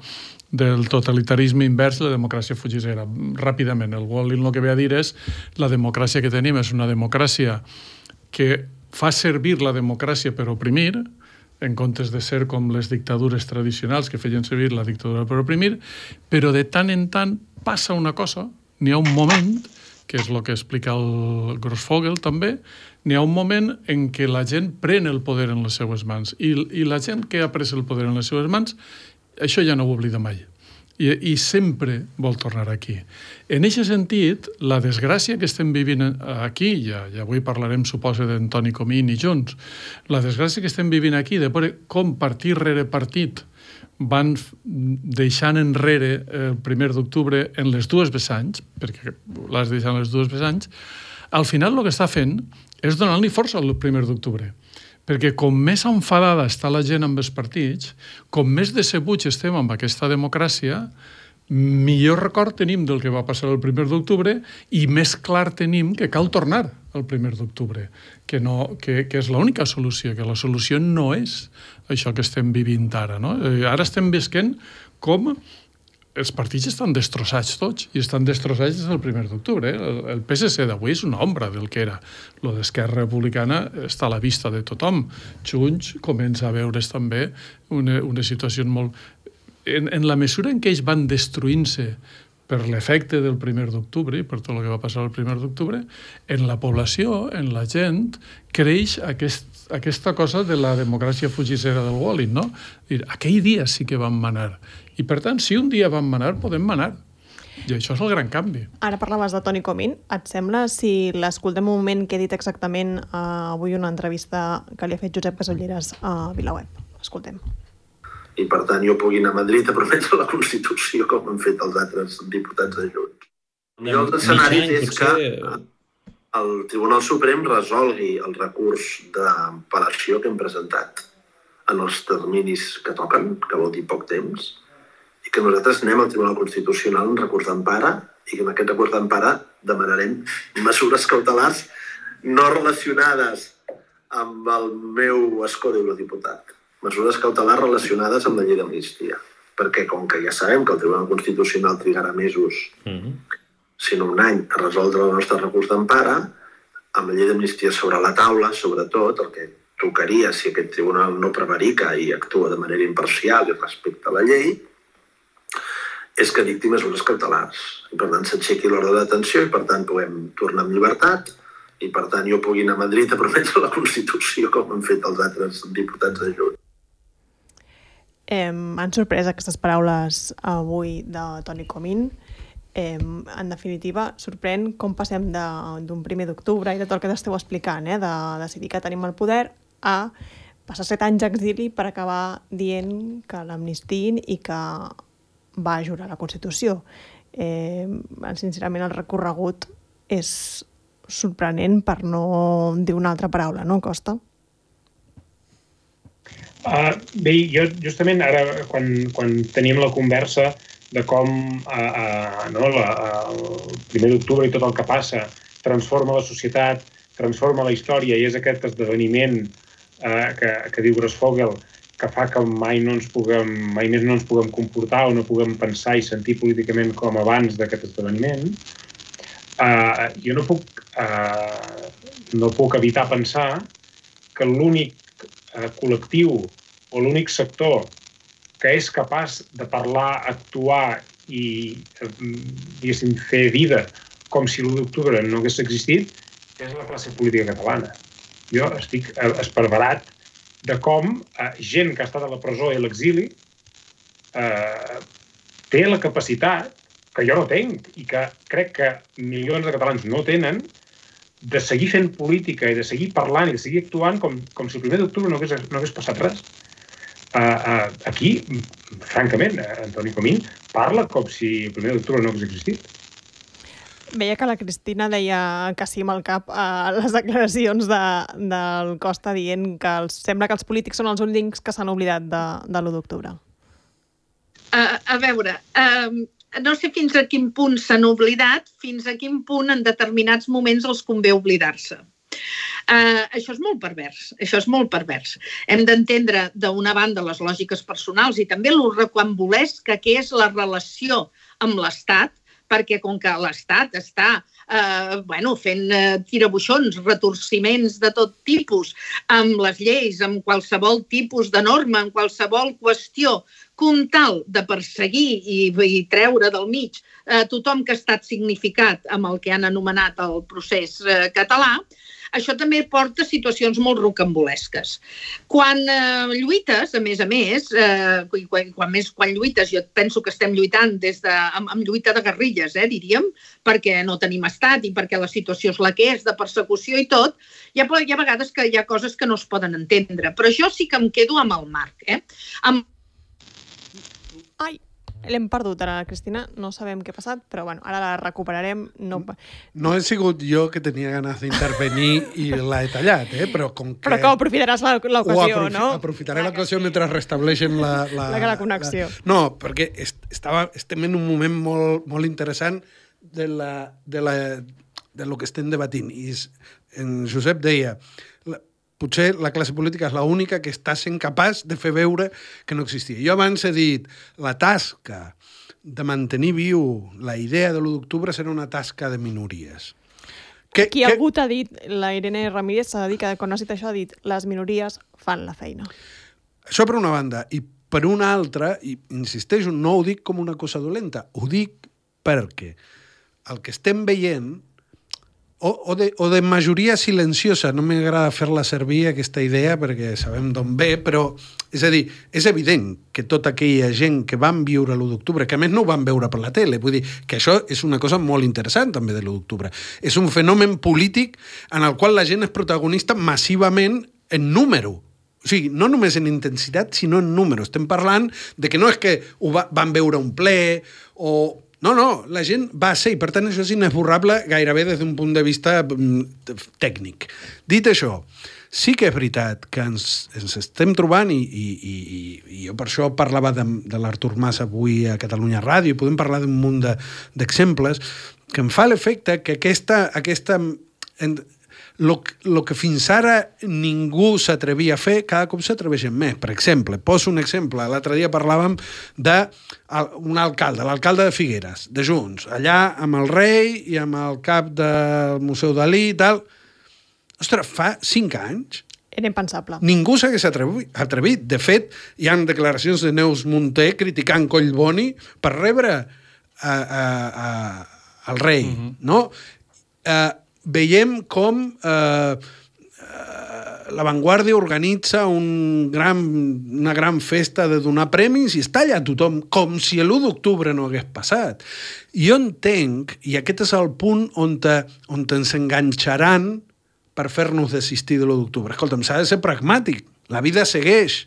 del totalitarisme invers i la democràcia fugissera. Ràpidament, el Walling el que ve a dir és la democràcia que tenim és una democràcia que fa servir la democràcia per oprimir, en comptes de ser com les dictadures tradicionals que feien servir la dictadura per oprimir, però de tant en tant passa una cosa, n'hi ha un moment, que és el que explica el Grossfogel també, n'hi ha un moment en què la gent pren el poder en les seues mans i, i la gent que ha pres el poder en les seues mans això ja no ho oblida mai. I, i sempre vol tornar aquí. En aquest sentit, la desgràcia que estem vivint aquí, ja, ja avui parlarem, suposo, d'en Toni Comín i Junts, la desgràcia que estem vivint aquí, de veure com partit rere partit van deixant enrere el primer d'octubre en les dues vessants, perquè l'has deixat en les dues vessants, al final el que està fent és donar-li força al primer d'octubre. Perquè com més enfadada està la gent amb els partits, com més decebuts estem amb aquesta democràcia, millor record tenim del que va passar el primer d'octubre i més clar tenim que cal tornar al primer d'octubre, que, no, que, que és l'única solució, que la solució no és això que estem vivint ara. No? Ara estem visquent com els partits estan destrossats tots, i estan destrossats des del primer d'octubre. El, el P S C d'avui és una ombra del que era. Lo d'Esquerra Republicana està a la vista de tothom. Junts comença a veure's també una, una situació molt... En, en la mesura en què ells van destruint-se per l'efecte del primer d'octubre i per tot el que va passar el primer d'octubre, en la població, en la gent, creix aquest, aquesta cosa de la democràcia fugissera del Walling, no? Aquell dia sí que vam manar. I, per tant, si un dia vam manar, podem manar. I això és el gran canvi. Ara parlaves de Toni Comín. Et sembla, si l'escoltem un moment, que he dit exactament uh, avui una entrevista que li ha fet Josep Casolleres a VilaWeb? Escoltem. I, per tant, jo pugui anar a Madrid a prometre la Constitució com han fet els altres diputats de Junts. El millor dels escenaris és que el Tribunal Suprem resolgui el recurs d'apel·lació que hem presentat en els terminis que toquen, que vol dir poc temps, i que nosaltres anem al Tribunal Constitucional en recurs d'empara i que en aquest recurs d'empara demanarem mesures cautelars no relacionades amb el meu escó d'eurodiputat. Mesures cautelars relacionades amb la llei d'amnistia. Perquè com que ja sabem que el Tribunal Constitucional trigarà mesos, mm-hmm. sinó un any, a resoldre el nostre recurs d'empara, amb la llei d'amnistia sobre la taula, sobretot, el que tocaria si aquest tribunal no prevarica i actua de manera imparcial i respecte a la llei, és que dicti mesures cautelars. I per tant s'aixequi l'ordre de detenció i per tant puguem tornar amb llibertat i per tant jo pugui anar a Madrid a prometre la Constitució com han fet els altres diputats de Junts. Eh, han sorprès aquestes paraules avui de Toni Comín. Eh, en definitiva, sorprèn com passem d'un primer d'octubre i de tot el que t'esteu explicant, eh, de decidir que tenim el poder, a passar set anys d'exili per acabar dient que l'amnistiin i que va jurar la Constitució. Eh, sincerament, el recorregut és sorprenent per no dir una altra paraula, no, Costa? Uh, bé, jo justament ara, quan, quan teníem la conversa de com uh, uh, no, la, uh, el primer d'octubre i tot el que passa transforma la societat, transforma la història i és aquest esdeveniment uh, que, que diu Grossfogel que fa que mai, no ens puguem, mai més no ens puguem comportar o no puguem pensar i sentir políticament com abans d'aquest esdeveniment, uh, jo no puc, uh, no puc evitar pensar que l'únic uh, col·lectiu o l'únic sector que és capaç de parlar, actuar i, diguéssim, fer vida com si l'u d'octubre no hagués existit, és la classe política catalana. Jo estic esparverat de com eh, gent que ha estat a la presó i a l'exili eh, té la capacitat que jo no tenc i que crec que milions de catalans no tenen, de seguir fent política i de seguir parlant i de seguir actuant com, com si el primer d'octubre no hagués, no hagués passat res. Uh, uh, aquí, francament, Antoni Comín parla com si el primer d'octubre no hagués existit. Veia que la Cristina deia que sí amb el cap a les declaracions de, del Costa dient que els, sembla que els polítics són els únics que s'han oblidat de, de l'u d'octubre. Uh, a veure, uh, no sé fins a quin punt s'han oblidat, fins a quin punt en determinats moments els convé oblidar-se. Uh, això és molt pervers, això és molt pervers. Hem d'entendre d'una banda les lògiques personals i també l'urrequambolesca que és la relació amb l'Estat, perquè com que l'Estat està eh, bueno, fent eh, tirabuixons, retorciments de tot tipus, amb les lleis, amb qualsevol tipus de norma, amb qualsevol qüestió, com tal de perseguir i, i treure del mig eh, tothom que ha estat significat amb el que han anomenat el procés eh, català, això també porta a situacions molt rocambolesques. Quan eh, lluites, a més a més, eh, quan, quan, més, quan lluites, jo penso que estem lluitant des de, amb, amb lluita de guerrilles, eh, diríem, perquè no tenim estat i perquè la situació és la que és, de persecució i tot, hi ha, hi ha vegades que hi ha coses que no es poden entendre. Però jo sí que em quedo amb el marc. Eh? Amb... Ai! L'hem perdut ara, Cristina, no sabem què ha passat, però bueno, ara la recuperarem. No, no he sigut jo que tenia ganes d'intervenir i l'he tallat, eh? Però com que... Però que aprofitaràs l'ocasió, aprofi no? Aprofitaré l'ocasió mentre restableixen la... La, la, la connexió. La... No, perquè est estava, estem en un moment molt, molt interessant de, la, de, la, de lo que estem debatint. I en Josep deia... La, potser la classe política és l'única que està sent capaç de fer veure que no existia. Jo abans he dit, la tasca de mantenir viu la idea de l'u d'octubre serà una tasca de minories. Que, Qui que... algú t'ha dit, la Irene Ramírez s'ha de dir que quan has dit això ha dit les minories fan la feina. Això per una banda. I per una altra, i insisteixo, no ho dic com una cosa dolenta, ho dic perquè el que estem veient O, o, de, o de majoria silenciosa, no m'agrada fer-la servir aquesta idea perquè sabem d'on ve, però és a dir, és evident que tota aquella gent que van viure l'u d'octubre, que a més no ho van veure per la tele, vull dir que això és una cosa molt interessant també de l'u d'octubre, és un fenomen polític en el qual la gent és protagonista massivament en número. O sigui, no només en intensitat, sinó en número. Estem parlant de que no és que ho va, van veure un ple o... No, no, la gent va ser, i per tant això és inesborrable gairebé des d'un punt de vista tècnic. Dit això, sí que és veritat que ens, ens estem trobant, i, i, i, i jo per això parlava de, de l'Artur Mas avui a Catalunya Ràdio, i podem parlar d'un munt d'exemples, de, que em fa l'efecte que aquesta... aquesta en, Lo, lo que fins ara ningú s'atrevia a fer, cada cop s'atreveixen més. Per exemple, poso un exemple. L'altre dia parlàvem d'un alcalde, l'alcalde de Figueres, de Junts, allà amb el rei i amb el cap del Museu Dalí i tal. Ostres, fa cinc anys era impensable. Ningú s'hagués atrevit. De fet, hi ha declaracions de Neus Munté criticant Collboni per rebre a, a, a, al rei, uh-huh. no? Eh, veiem com eh, la Vanguardia organitza un gran, una gran festa de donar premis i està allà tothom, com si l'u d'octubre no hagués passat. Jo entenc, i aquest és el punt on, te, on te ens enganxaran per fer-nos desistir de l'u d'octubre. Escolta'm, s'ha de ser pragmàtic, la vida segueix.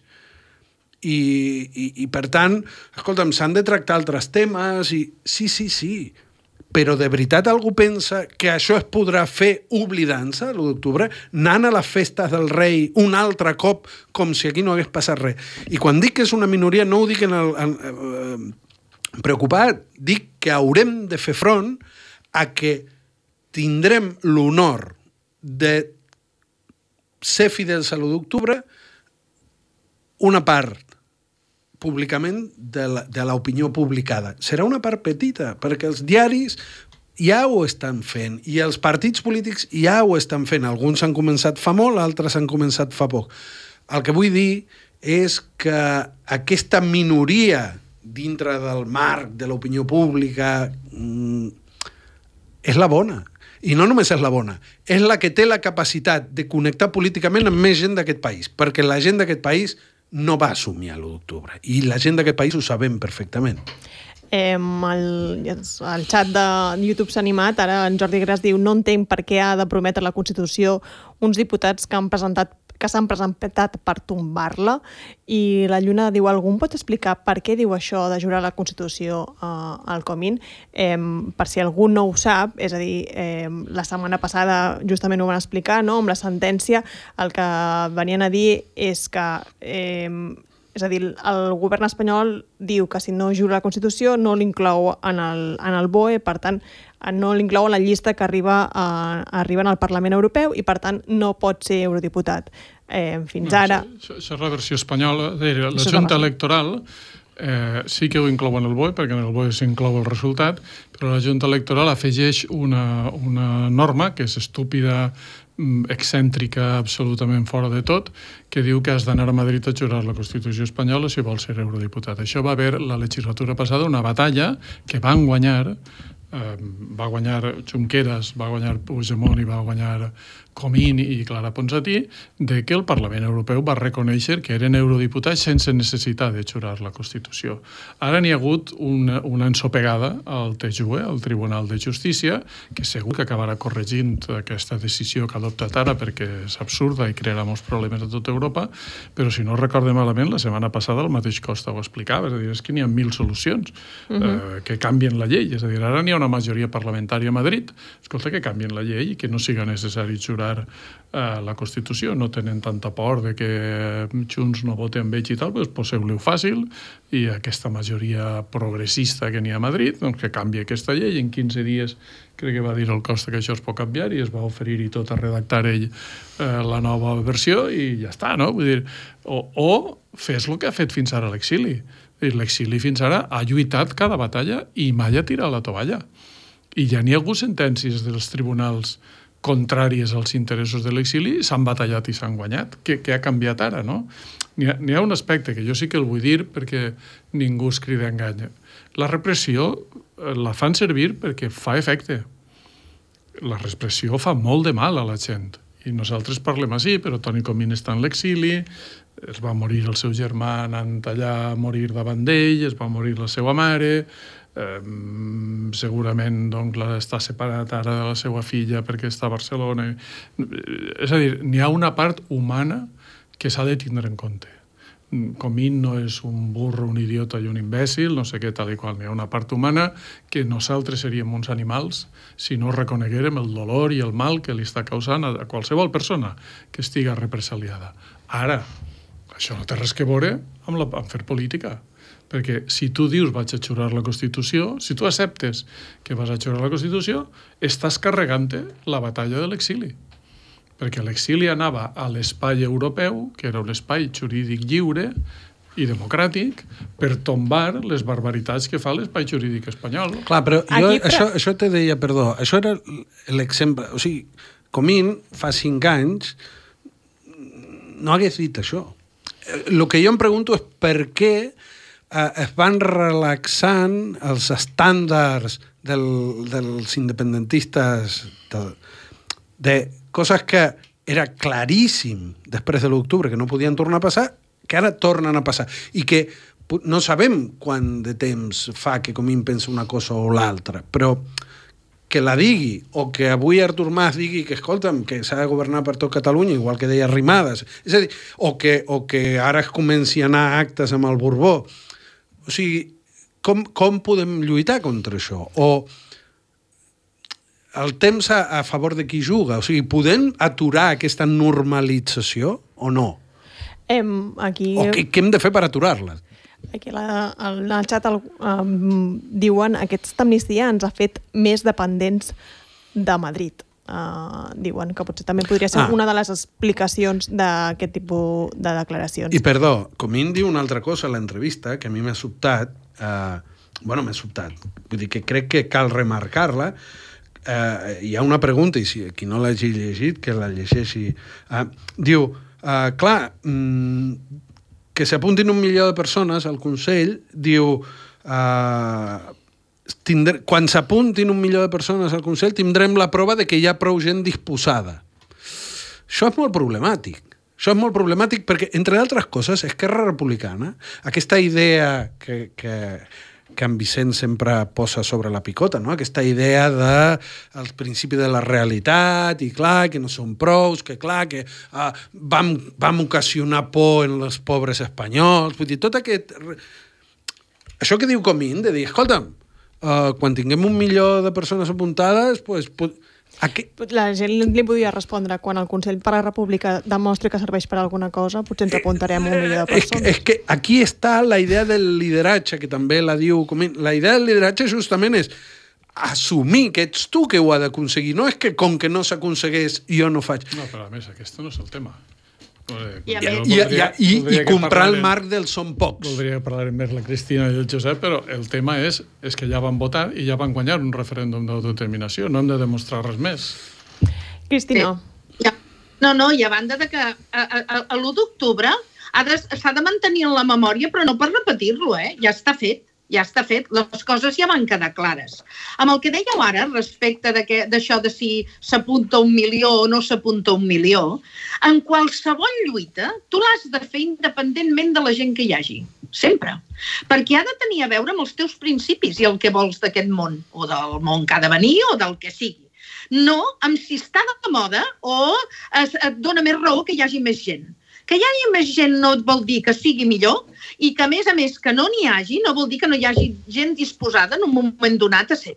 I, i, i per tant, escolta'm, s'han de tractar altres temes i sí, sí, sí, però de veritat algú pensa que això es podrà fer oblidant-se l'u d'octubre, anant a les festes del rei un altre cop com si aquí no hagués passat res. I quan dic que és una minoria no ho dic en el, en, eh, preocupat, dic que haurem de fer front a que tindrem l'honor de ser fidels a l'u d'octubre una part públicament de l'opinió publicada. Serà una part petita, perquè els diaris ja ho estan fent, i els partits polítics ja ho estan fent. Alguns han començat fa molt, altres han començat fa poc. El que vull dir és que aquesta minoria dintre del marc de l'opinió pública mm, és la bona. I no només és la bona, és la que té la capacitat de connectar políticament amb més gent d'aquest país, perquè la gent d'aquest país no va assumir l'u d'octubre. I la gent d'aquest país ho sabem perfectament. Eh, el, el xat de YouTube s'ha animat, ara en Jordi Gras diu no entenc per què ha de prometre la Constitució uns diputats que han presentat que s'han presentat per tombar-la, i la Lluna diu, algú em pot explicar per què diu això de jurar la Constitució eh, al Comín? Eh, per si algú no ho sap, és a dir, eh, la setmana passada justament ho van explicar, no? Amb la sentència el que venien a dir és que eh, és a dir, el govern espanyol diu que si no jura la Constitució no l'inclou en el, en el B O E, per tant, no l'inclou en la llista que arriba a, arriben al Parlament Europeu i, per tant, no pot ser eurodiputat. Eh, fins ara... Això, això és la versió espanyola. La Junta Electoral eh, sí que ho inclou en el B O E, perquè en el B O E s'inclou el resultat, però la Junta Electoral afegeix una, una norma que és estúpida, excèntrica, absolutament fora de tot, que diu que has d'anar a Madrid a jurar la Constitució espanyola si vols ser eurodiputat. Això va haver la legislatura passada una batalla que van guanyar, eh, va guanyar Junqueras, va guanyar Puigdemont i va guanyar Comín i Clara Ponsatí, de que el Parlament Europeu va reconèixer que eren eurodiputats sense necessitat de jurar la Constitució. Ara n'hi ha hagut una, una ensopegada al T J U E, al Tribunal de Justícia, que segur que acabarà corregint aquesta decisió que ha adoptat ara perquè és absurda i crearà molts problemes a tota Europa, però si no recordo malament, la setmana passada el mateix Costa ho explicava, és a dir, és que n'hi ha mil solucions uh -huh. eh, que canvien la llei, és a dir, ara n'hi ha una majoria parlamentària a Madrid, escolta, que canvien la llei i que no siga necessari jurar eh, la Constitució, no tenen tanta por de que Junts no voten amb ells i tal, doncs poseu-li-ho fàcil i aquesta majoria progressista que n'hi ha a Madrid, doncs que canvi aquesta llei. En quinze dies crec que va dir el Costa que això es pot canviar i es va oferir i tot a redactar ell eh, la nova versió i ja està, no? Vull dir, o, o fes el que ha fet fins ara l'exili. L'exili fins ara ha lluitat cada batalla i mai ha tirat la tovalla. I ja n'hi ha hagut sentències dels tribunals contràries als interessos de l'exili, s'han batallat i s'han guanyat. Què, què ha canviat ara, no? N'hi ha, n'hi ha un aspecte que jo sí que el vull dir perquè ningú es crida a engany. La repressió la fan servir perquè fa efecte. La repressió fa molt de mal a la gent. I nosaltres parlem així, però Toni Comín està en l'exili, es va morir el seu germà anant allà a morir davant d'ell, es va morir la seva mare, eh, segurament doncs, està separat ara de la seva filla perquè està a Barcelona. És a dir, n'hi ha una part humana que s'ha de tindre en compte. Comín no és un burro, un idiota i un imbècil, no sé què, tal i qual. N'hi ha una part humana que nosaltres seríem uns animals si no reconeguérem el dolor i el mal que li està causant a qualsevol persona que estiga represaliada. Ara, això no té res que veure amb, la, amb fer política. Perquè si tu dius vaig a jurar la Constitució, si tu acceptes que vas a jurar la Constitució, estàs carregant-te la batalla de l'exili. Perquè l'exili anava a l'espai europeu, que era un espai jurídic lliure i democràtic, per tombar les barbaritats que fa l'espai jurídic espanyol. Clar, però jo Aquí, això, però... això te deia, perdó, això era l'exemple. O sigui, Comín fa cinc anys no hagués dit això. El que jo em pregunto és per què eh, es van relaxant els estàndards del, dels independentistes de, de coses que era claríssim després de l'octubre que no podien tornar a passar, que ara tornen a passar. I que no sabem quant de temps fa que Comín pensa una cosa o l'altra, però que la digui, o que avui Artur Mas digui que, escolta'm, que s'ha de governar per tot Catalunya, igual que deia Arrimadas, és a dir, o que, o que ara es comenci a anar a actes amb el Borbó. O sigui, com, com podem lluitar contra això? O el temps a, a favor de qui juga? O sigui, podem aturar aquesta normalització o no? Em, aquí... O què, què hem de fer per aturar-la? Aquí la, el, el xat el, um, diuen que aquesta amnistia ens ha fet més dependents de Madrid. Uh, diuen que potser també podria ser ah. una de les explicacions d'aquest tipus de declaracions. I perdó, Comín diu una altra cosa a l'entrevista que a mi m'ha sobtat, uh, bueno, m'ha sobtat, vull dir que crec que cal remarcar-la. Uh, hi ha una pregunta, i si qui no l'hagi llegit, que la llegeixi. Uh, diu, uh, clar, mm, que s'apuntin un milió de persones al Consell, diu, uh, tindre, quan s'apuntin un milió de persones al Consell tindrem la prova de que hi ha prou gent disposada. Això és molt problemàtic. Això és molt problemàtic perquè, entre altres coses, Esquerra Republicana, aquesta idea que, que, que en Vicent sempre posa sobre la picota, no? Aquesta idea de el principi de la realitat i clar, que no són prous, que clar, que uh, vam, vam ocasionar por en els pobres espanyols. Vull dir, tot aquest... Això que diu Comín, de dir, escolta'm, uh, quan tinguem un milió de persones apuntades, pues, pues, aquí... La gent li podia respondre quan el Consell per la República demostri que serveix per alguna cosa, potser ens apuntarem un milió de persones. És que, és que aquí està la idea del lideratge, que també la diu Comín. La idea del lideratge justament és assumir que ets tu que ho ha d'aconseguir. No és que com que no s'aconsegueix jo no faig. No, però a més, aquest no és el tema. I, I, i, i, i comprar el marc del són pocs. Voldria parlar més la Cristina i el Josep, però el tema és, és que ja van votar i ja van guanyar un referèndum d'autodeterminació. No hem de demostrar res més. Cristina. Sí. Ja. No, no, i a banda de que a, a, a l'u d'octubre s'ha de mantenir en la memòria, però no per repetir-lo, eh? Ja està fet. Ja està fet, les coses ja van quedar clares. Amb el que dèieu ara, respecte d'això de si s'apunta un milió o no s'apunta un milió, en qualsevol lluita tu l'has de fer independentment de la gent que hi hagi. Sempre. Perquè ha de tenir a veure amb els teus principis i el que vols d'aquest món, o del món que ha de venir o del que sigui. No amb si està de moda o es, et dona més raó que hi hagi més gent. Que hi hagi més gent no vol dir que sigui millor i que, a més a més, que no n'hi hagi no vol dir que no hi hagi gent disposada en un moment donat a ser.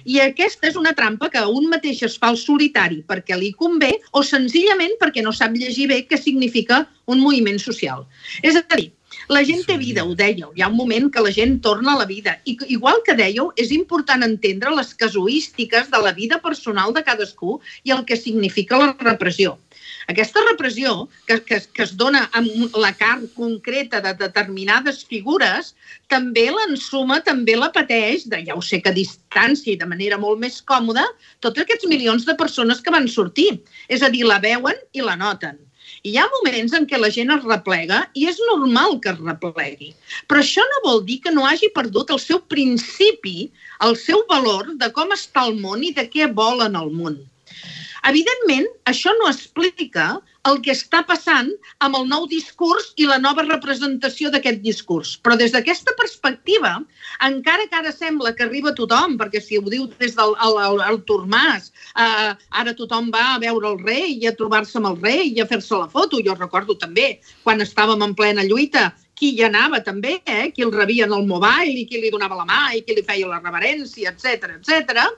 I aquesta és una trampa que un mateix es fa el solitari perquè li convé o senzillament perquè no sap llegir bé què significa un moviment social. És a dir, la gent té vida, ho dèieu. Hi ha un moment que la gent torna a la vida. I igual que dèieu, és important entendre les casuístiques de la vida personal de cadascú i el que significa la repressió. Aquesta repressió, que, que, que es dona amb la carn concreta de determinades figures, també l'ensuma, també la pateix, de, ja ho sé que a distància i de manera molt més còmoda, tots aquests milions de persones que van sortir. És a dir, la veuen i la noten. I hi ha moments en què la gent es replega i és normal que es replegui. Però això no vol dir que no hagi perdut el seu principi, el seu valor de com està el món i de què vol en el món. Evidentment, això no explica el que està passant amb el nou discurs i la nova representació d'aquest discurs. Però des d'aquesta perspectiva, encara que ara sembla que arriba tothom, perquè si ho diu des del Artur Mas, eh, ara tothom va a veure el rei i a trobar-se amb el rei i a fer-se la foto. Jo recordo també, quan estàvem en plena lluita, qui hi anava també, eh? Qui el rebia en el mobile i qui li donava la mà i qui li feia la reverència, etcètera, etcètera.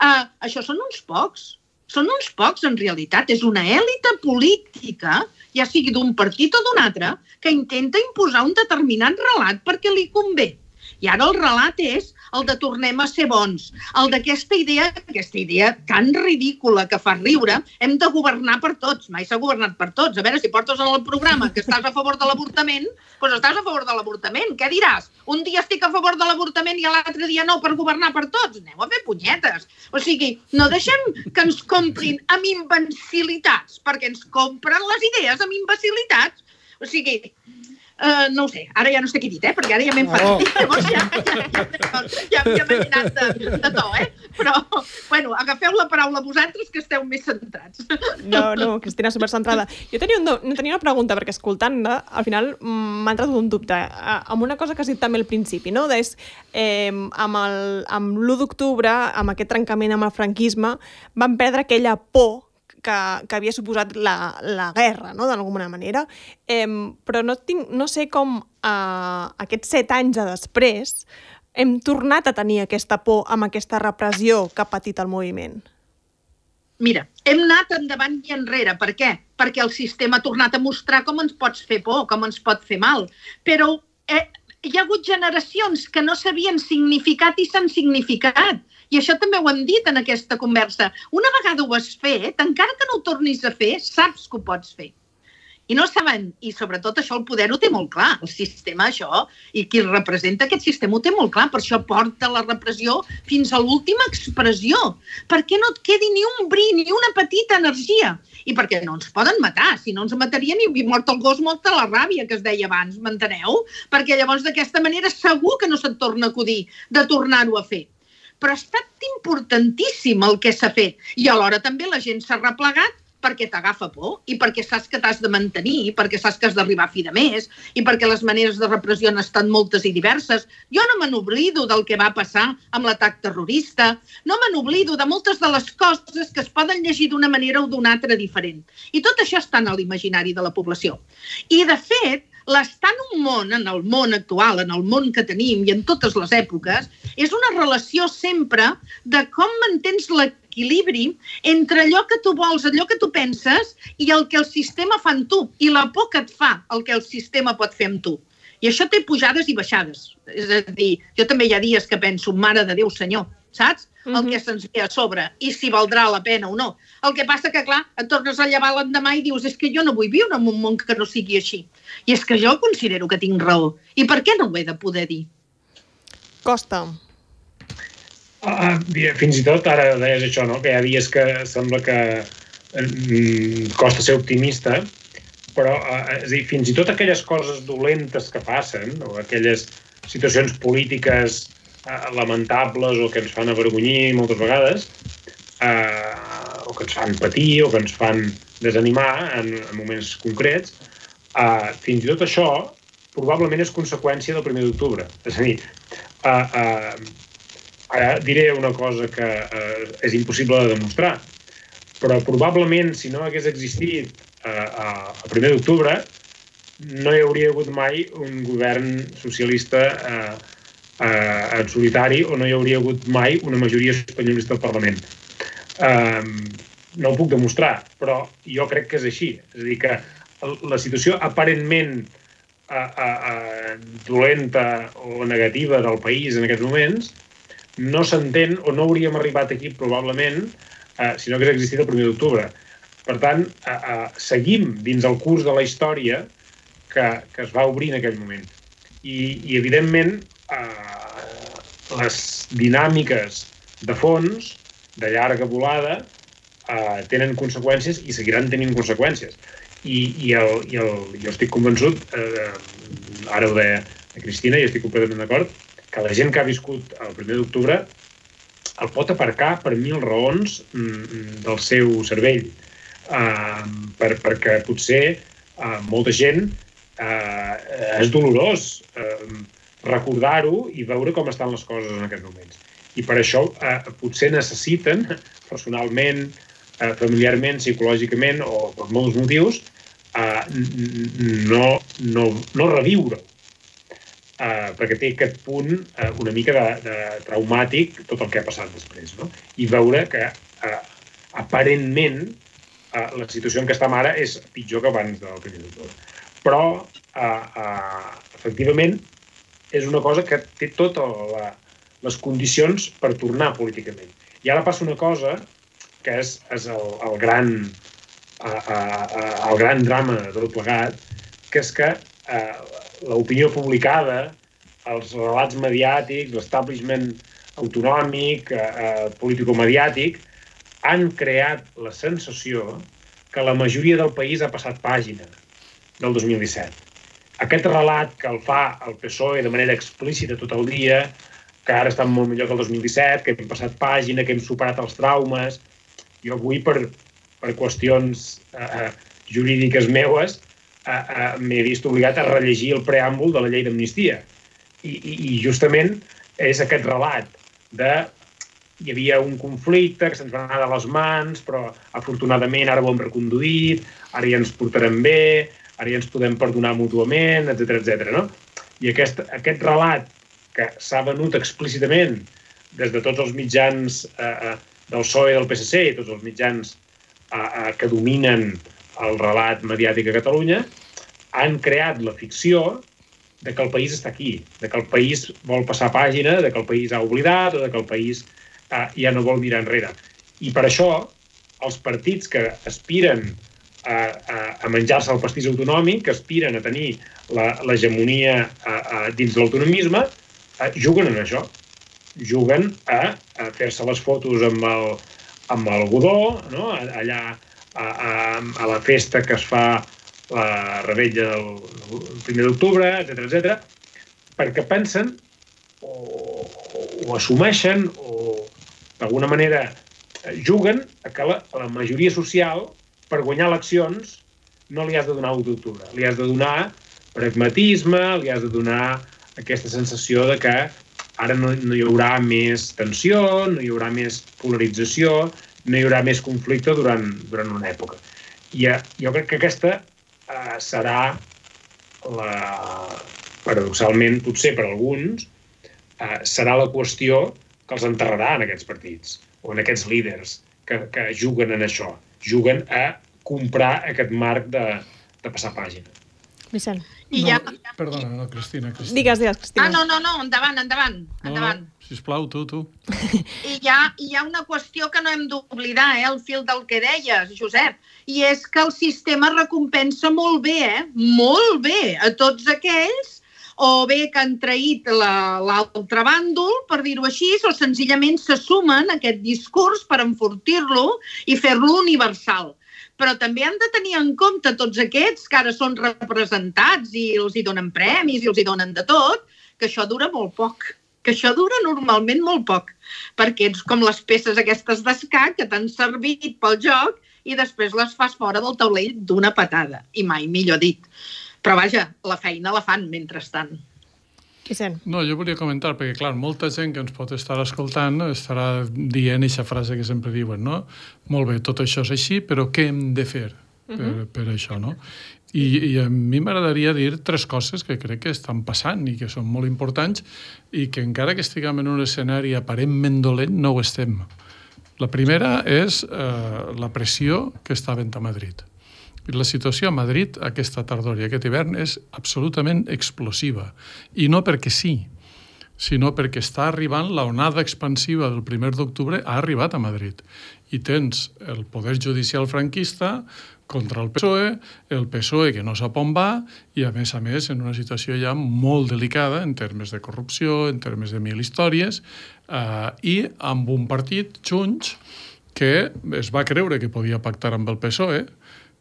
Eh, això són uns pocs. Són uns pocs, en realitat. És una èlita política, ja sigui d'un partit o d'un altre, que intenta imposar un determinat relat perquè li convé. I ara el relat és el de tornem a ser bons. El d'aquesta idea, aquesta idea tan ridícula que fa riure, hem de governar per tots. Mai s'ha governat per tots. A veure, si portes en el programa que estàs a favor de l'avortament, doncs estàs a favor de l'avortament. Què diràs? Un dia estic a favor de l'avortament i l'altre dia no, per governar per tots. Aneu a fer punyetes. O sigui, no deixem que ens comprin amb imbecilitats, perquè ens compren les idees amb imbecilitats. O sigui... Uh, no ho sé, ara ja no sé què he dit, eh? Perquè ara ja m'he enfadat. Oh. Llavors ja, ja, ja, ja m'he anat de, de to, eh? Però, bueno, agafeu la paraula vosaltres que esteu més centrats. No, no, Cristina, supercentrada. Jo tenia, un, no, tenia una pregunta, perquè escoltant-la, al final m'ha entrat un dubte. Amb una cosa que has dit també al principi, no? És, eh, amb el, amb l'u d'octubre, amb aquest trencament amb el franquisme, van perdre aquella por Que, que havia suposat la, la guerra, no?, d'alguna manera. Eh, però no, tinc, no sé com eh, aquests set anys després hem tornat a tenir aquesta por amb aquesta repressió que ha patit el moviment. Mira, hem anat endavant i enrere. Per què? Perquè el sistema ha tornat a mostrar com ens pots fer por, com ens pot fer mal. Però eh, hi ha hagut generacions que no sabien significat i s'han significat. I això també ho hem dit en aquesta conversa. Una vegada ho has fet, encara que no ho tornis a fer, saps que ho pots fer. I no saben, i sobretot això el poder ho té molt clar, el sistema això, i qui representa aquest sistema ho té molt clar, per això porta la repressió fins a l'última expressió, perquè no et quedi ni un bri, ni una petita energia, i perquè no ens poden matar, si no ens matarien i mort el gos, molta la ràbia que es deia abans, m'enteneu? Perquè llavors d'aquesta manera segur que no se't torna a acudir de tornar-ho a fer. Però ha estat importantíssim el que s'ha fet. I alhora també la gent s'ha replegat perquè t'agafa por i perquè saps que t'has de mantenir, i perquè saps que has d'arribar a fi de mes i perquè les maneres de repressió han estat moltes i diverses. Jo no me n'oblido del que va passar amb l'atac terrorista, no me n'oblido de moltes de les coses que es poden llegir d'una manera o d'una altra diferent. I tot això està en l'imaginari de la població. I, de fet, l'estar en un món, en el món actual, en el món que tenim i en totes les èpoques, és una relació sempre de com mantens l'equilibri entre allò que tu vols, allò que tu penses i el que el sistema fa amb tu, i la por que et fa el que el sistema pot fer amb tu. I això té pujades i baixades. És a dir, jo també hi ha dies que penso, mare de Déu, senyor, saps? El que se'ns ve a sobre, i si valdrà la pena o no. El que passa que, clar, et tornes a llevar l'endemà i dius, és que jo no vull viure en un món que no sigui així. I és que jo considero que tinc raó. I per què no ho he de poder dir? Costa. Ah, fins i tot, ara deies això, no? Que hi ha dies que sembla que mm, costa ser optimista, però eh, és a dir, fins i tot aquelles coses dolentes que passen, o aquelles situacions polítiques eh, lamentables o que ens fan avergonyir moltes vegades, eh, o que ens fan patir o que ens fan desanimar en, en moments concrets, eh, fins i tot això probablement és conseqüència del primer d'octubre. És a dir, eh, eh, ara diré una cosa que eh, és impossible de demostrar, però probablement si no hagués existit eh, el primer d'octubre no hi hauria hagut mai un govern socialista eh, eh, en solitari o no hi hauria hagut mai una majoria espanyolista al Parlament. Eh, no ho puc demostrar, però jo crec que és així. És a dir, que la situació aparentment eh, eh, dolenta o negativa del país en aquests moments no s'entén o no hauríem arribat aquí probablement eh, si no hagués existit el primer d'octubre. Per tant, eh, eh, seguim dins el curs de la història que, que es va obrir en aquell moment. I, i evidentment, eh, les dinàmiques de fons, de llarga volada, eh, tenen conseqüències i seguiran tenint conseqüències. I, i, el, i el, jo estic convençut, eh, ara ho deia a Cristina i estic completament d'acord, que la gent que ha viscut el primer d'octubre el pot aparcar per mil raons del seu cervell. Uh, per, perquè potser uh, molta gent uh, és dolorós uh, recordar-ho i veure com estan les coses en aquests moments. I per això uh, potser necessiten, personalment, uh, familiarment, psicològicament o per molts motius, uh, no, no, no reviure-ho. Uh, perquè té aquest punt uh, una mica de, de traumàtic tot el que ha passat després, no? I veure que uh, aparentment uh, la situació en què estem ara és pitjor que abans del primer d'octubre. Però uh, uh, efectivament és una cosa que té totes la, les condicions per tornar políticament. I ara passa una cosa que és, és el, el, gran, uh, uh, uh, el gran drama de tot plegat, que és que uh, l'opinió publicada, els relats mediàtics, l'establishment autonòmic, eh, político-mediàtic, han creat la sensació que la majoria del país ha passat pàgina del dos mil disset. Aquest relat que el fa el P S O E de manera explícita tot el dia, que ara estan molt millor que el dos mil disset, que hem passat pàgina, que hem superat els traumes. Jo avui, per, per qüestions eh, jurídiques meues, Uh, uh, m'he vist obligat a rellegir el preàmbul de la llei d'amnistia. I, i, I justament és aquest relat de hi havia un conflicte que se'ns va anar de les mans, però afortunadament ara ho hem reconduït, ara ja ens portarem bé, ara ja ens podem perdonar mútuament, etcètera, etcètera, no? I aquest, aquest relat que s'ha venut explícitament des de tots els mitjans uh, del P S O E i del P S C i tots els mitjans uh, uh, que dominen el relat mediàtic a Catalunya, han creat la ficció de que el país està aquí, de que el país vol passar pàgina, de que el país ha oblidat o de que el país eh, ja no vol mirar enrere. I per això els partits que aspiren a, a, a menjar-se el pastís autonòmic, que aspiren a tenir l'hegemonia dins l'autonomisme, eh, juguen en això. Juguen a, a fer-se les fotos amb el, amb el godó, no? Allà A, a, a la festa que es fa la rebella del, del primer d'octubre, etcètera, etcètera, perquè pensen o, o assumeixen o d'alguna manera juguen a que la, la majoria social per guanyar eleccions no li has de donar l'u d'octubre, li has de donar pragmatisme, li has de donar aquesta sensació de que ara no, no hi haurà més tensió, no hi haurà més polarització, no hi haurà més conflicte durant, durant una època. I uh, jo crec que aquesta uh, serà, la, paradoxalment, potser per alguns, uh, serà la qüestió que els enterrarà en aquests partits, o en aquests líders que, que juguen en això, juguen a comprar aquest marc de, de passar pàgina. Vicent. I ja... No, perdona, no, Cristina, Cristina. Digues, digues, Cristina. Ah, no, no, no, endavant, endavant, endavant. No, no, sisplau, tu, tu. I hi ha, hi ha una qüestió que no hem d'oblidar, eh, el fil del que deies, Josep, i és que el sistema recompensa molt bé, eh, molt bé, a tots aquells, o bé que han traït l'altre bàndol, per dir-ho així, o senzillament se sumen a aquest discurs per enfortir-lo i fer-lo universal. Però també han de tenir en compte tots aquests que ara són representats i els hi donen premis i els hi donen de tot, que això dura molt poc, que això dura normalment molt poc, perquè ets com les peces aquestes d'escac que t'han servit pel joc i després les fas fora del taulell d'una patada, i mai millor dit. Però vaja, la feina la fan mentrestant. Vicent. No, jo volia comentar, perquè clar, molta gent que ens pot estar escoltant estarà dient aquesta frase que sempre diuen, no? Molt bé, tot això és així, però què hem de fer per, uh-huh. per això, no? I, I a mi m'agradaria dir tres coses que crec que estan passant i que són molt importants i que encara que estiguem en un escenari aparentment dolent, no ho estem. La primera és eh, la pressió que està havent a Madrid. La situació a Madrid aquesta tardor i aquest hivern és absolutament explosiva. I no perquè sí, sinó perquè està arribant la onada expansiva del primer d'octubre ha arribat a Madrid. I tens el poder judicial franquista contra el P S O E, el P S O E que no sap on va i, a més a més, en una situació ja molt delicada en termes de corrupció, en termes de mil històries, eh, i amb un partit, Junts, que es va creure que podia pactar amb el P S O E,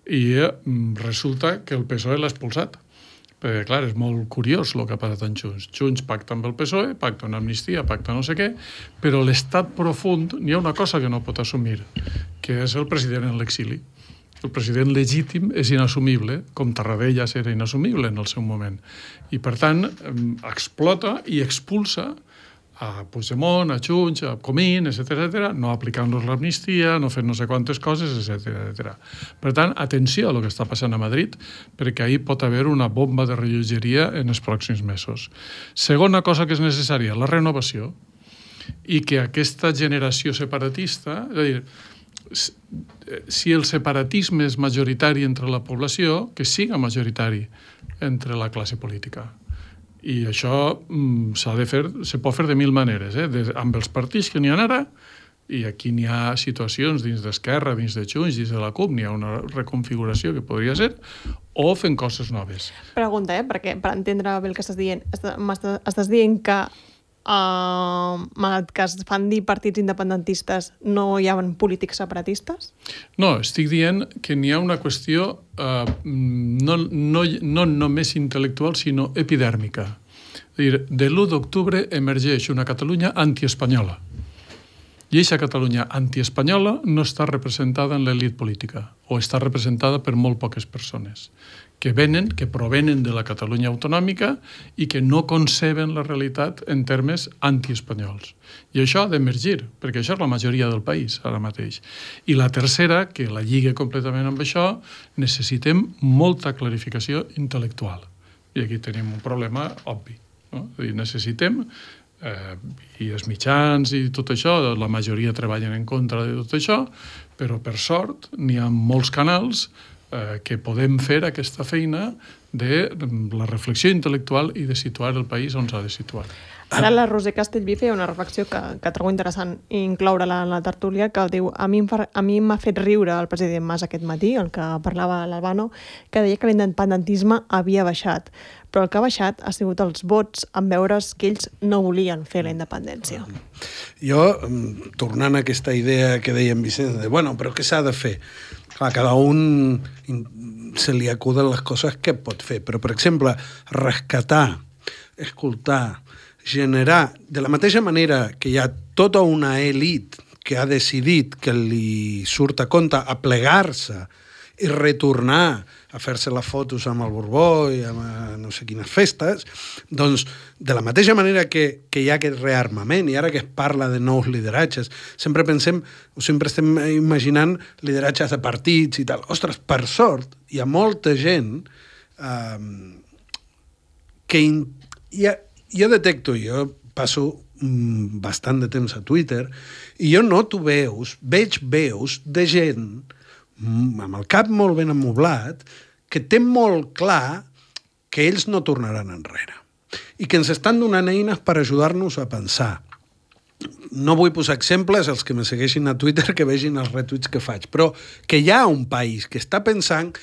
i resulta que el P S O E l'ha expulsat. Perquè, clar, és molt curiós el que ha passat en Junts. Junts pacta amb el P S O E, pacta una amnistia, pacta no sé què, però l'estat profund, n'hi ha una cosa que no pot assumir, que és el president en l'exili. El president legítim és inassumible, com Tarradellas era inassumible en el seu moment. I, per tant, explota i expulsa a Puigdemont, a Junts, a Comín, etcètera, etcètera, no aplicant-los l'amnistia, no fent no sé quantes coses, etcètera, etcètera. Per tant, atenció a el que està passant a Madrid, perquè ahí pot haver una bomba de rellotgeria en els pròxims mesos. Segona cosa que és necessària, la renovació, i que aquesta generació separatista, és a dir, si el separatisme és majoritari entre la població, que siga majoritari entre la classe política. I això mm, s'ha de fer, se pot fer de mil maneres, eh? de, amb els partits que n'hi ha ara, i aquí n'hi ha situacions dins d'Esquerra, dins de Junts, dins de la CUP, n'hi ha una reconfiguració que podria ser, o fent coses noves. Pregunta, eh? Perquè per entendre bé el que estàs dient, estàs, estàs dient que Uh, malgrat que es fan dir partits independentistes, no hi ha polítics separatistes? No, estic dient que n'hi ha una qüestió uh, no, no, no només intel·lectual, sinó epidèrmica. És a dir, de l'u d'octubre emergeix una Catalunya antiespanyola. I aquesta Catalunya antiespanyola no està representada en l'elit política, o està representada per molt poques persones, que venen, que provenen de la Catalunya autonòmica i que no conceben la realitat en termes antiespanyols. I això ha d'emergir, perquè això és la majoria del país ara mateix. I la tercera, que la lliga completament amb això, necessitem molta clarificació intel·lectual. I aquí tenim un problema obvi. No? És a dir, necessitem, eh, i els mitjans i tot això, la majoria treballen en contra de tot això, però per sort n'hi ha molts canals Eh, que podem fer aquesta feina de la reflexió intel·lectual i de situar el país on s'ha de situar. Ara la Roser Castellví feia una reflexió que, que trobo interessant incloure-la en la tertúlia, que diu, a mi, a mi m'ha fet riure el president Mas aquest matí, el que parlava l'Albano, que deia que l'independentisme havia baixat, però el que ha baixat ha sigut els vots en veure's que ells no volien fer la independència. Jo, tornant a aquesta idea que deia en Vicent, de, bueno, però què s'ha de fer? Clar, cada un se li acuden les coses que pot fer, però, per exemple, rescatar, escoltar, generar, de la mateixa manera que hi ha tota una elit que ha decidit que li surt a compte aplegar-se i retornar a fer-se les fotos amb el Borbó i amb no sé quines festes, doncs de la mateixa manera que, que hi ha aquest rearmament i ara que es parla de nous lideratges, sempre pensem o sempre estem imaginant lideratges de partits i tal. Ostres, per sort, hi ha molta gent eh, que in, ja, jo detecto, jo passo mm, bastant de temps a Twitter i jo noto veus, veig veus de gent amb el cap molt ben amoblat, que té molt clar que ells no tornaran enrere i que ens estan donant eines per ajudar-nos a pensar. No vull posar exemples, els que me segueixin a Twitter que vegin els retuits que faig, però que hi ha un país que està pensant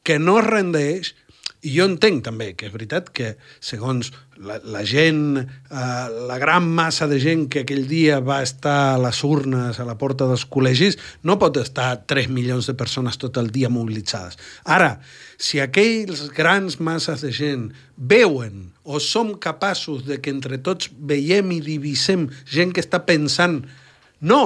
que no es rendeix. I jo entenc també que és veritat que segons la, la gent, eh, la gran massa de gent que aquell dia va estar a les urnes a la porta dels col·legis, no pot estar tres milions de persones tot el dia mobilitzades. Ara, si aquells grans masses de gent veuen o som capaços de que entre tots veiem i divisem gent que està pensant no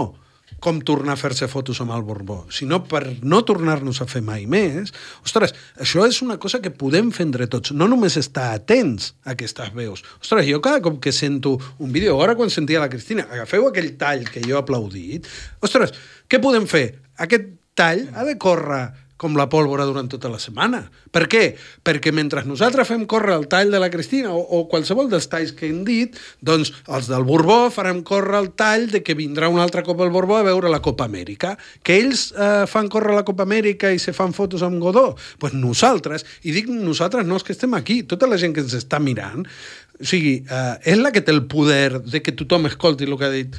com tornar a fer-se fotos amb el Borbó, sinó per no tornar-nos a fer mai més, ostres, això és una cosa que podem fer entre tots, no només estar atents a aquestes veus. Ostres, jo cada cop que sento un vídeo, ara quan sentia la Cristina, agafeu aquell tall que jo he aplaudit, ostres, què podem fer? Aquest tall ha de córrer com la pólvora durant tota la setmana. Per què? Perquè mentre nosaltres fem córrer el tall de la Cristina o, o qualsevol dels talls que hem dit, doncs els del Borbó farem córrer el tall de que vindrà un altre cop el Borbó a veure la Copa Amèrica. Que ells eh, fan córrer la Copa Amèrica i se fan fotos amb Godó? Doncs pues nosaltres, i dic nosaltres no és que estem aquí, tota la gent que ens està mirant, o sigui, eh, és la que té el poder de que tothom escolti el que ha dit.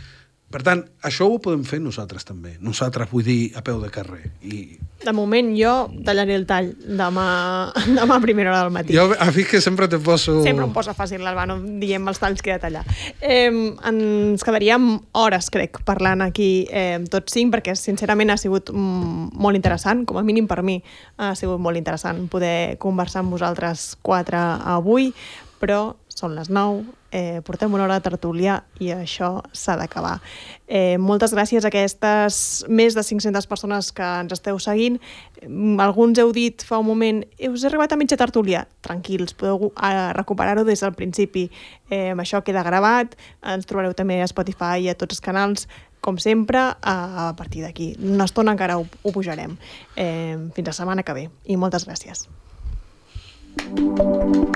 Per tant, això ho podem fer nosaltres també. Nosaltres, vull dir, a peu de carrer. I... De moment, jo tallaré el tall demà, demà a primera hora del matí. Jo, a fi que sempre te poso... Sempre em posa fàcil, l'Albano, diem els talls que he de tallar. Eh, ens quedaríem hores, crec, parlant aquí eh, tots cinc, perquè sincerament ha sigut mm, molt interessant, com a mínim per mi ha sigut molt interessant poder conversar amb vosaltres quatre avui, però són les nou, eh, portem una hora de tertúlia i això s'ha d'acabar. Eh, moltes gràcies a aquestes més de cinc-centes persones que ens esteu seguint. Alguns heu dit fa un moment, us he arribat a mitja tertúlia? Tranquils, podeu eh, recuperar-ho des del principi. Eh, això queda gravat, ens trobareu també a Spotify i a tots els canals, com sempre, a partir d'aquí. Una estona encara ho, ho pujarem. Eh, fins la setmana que ve. I moltes gràcies. Thank you.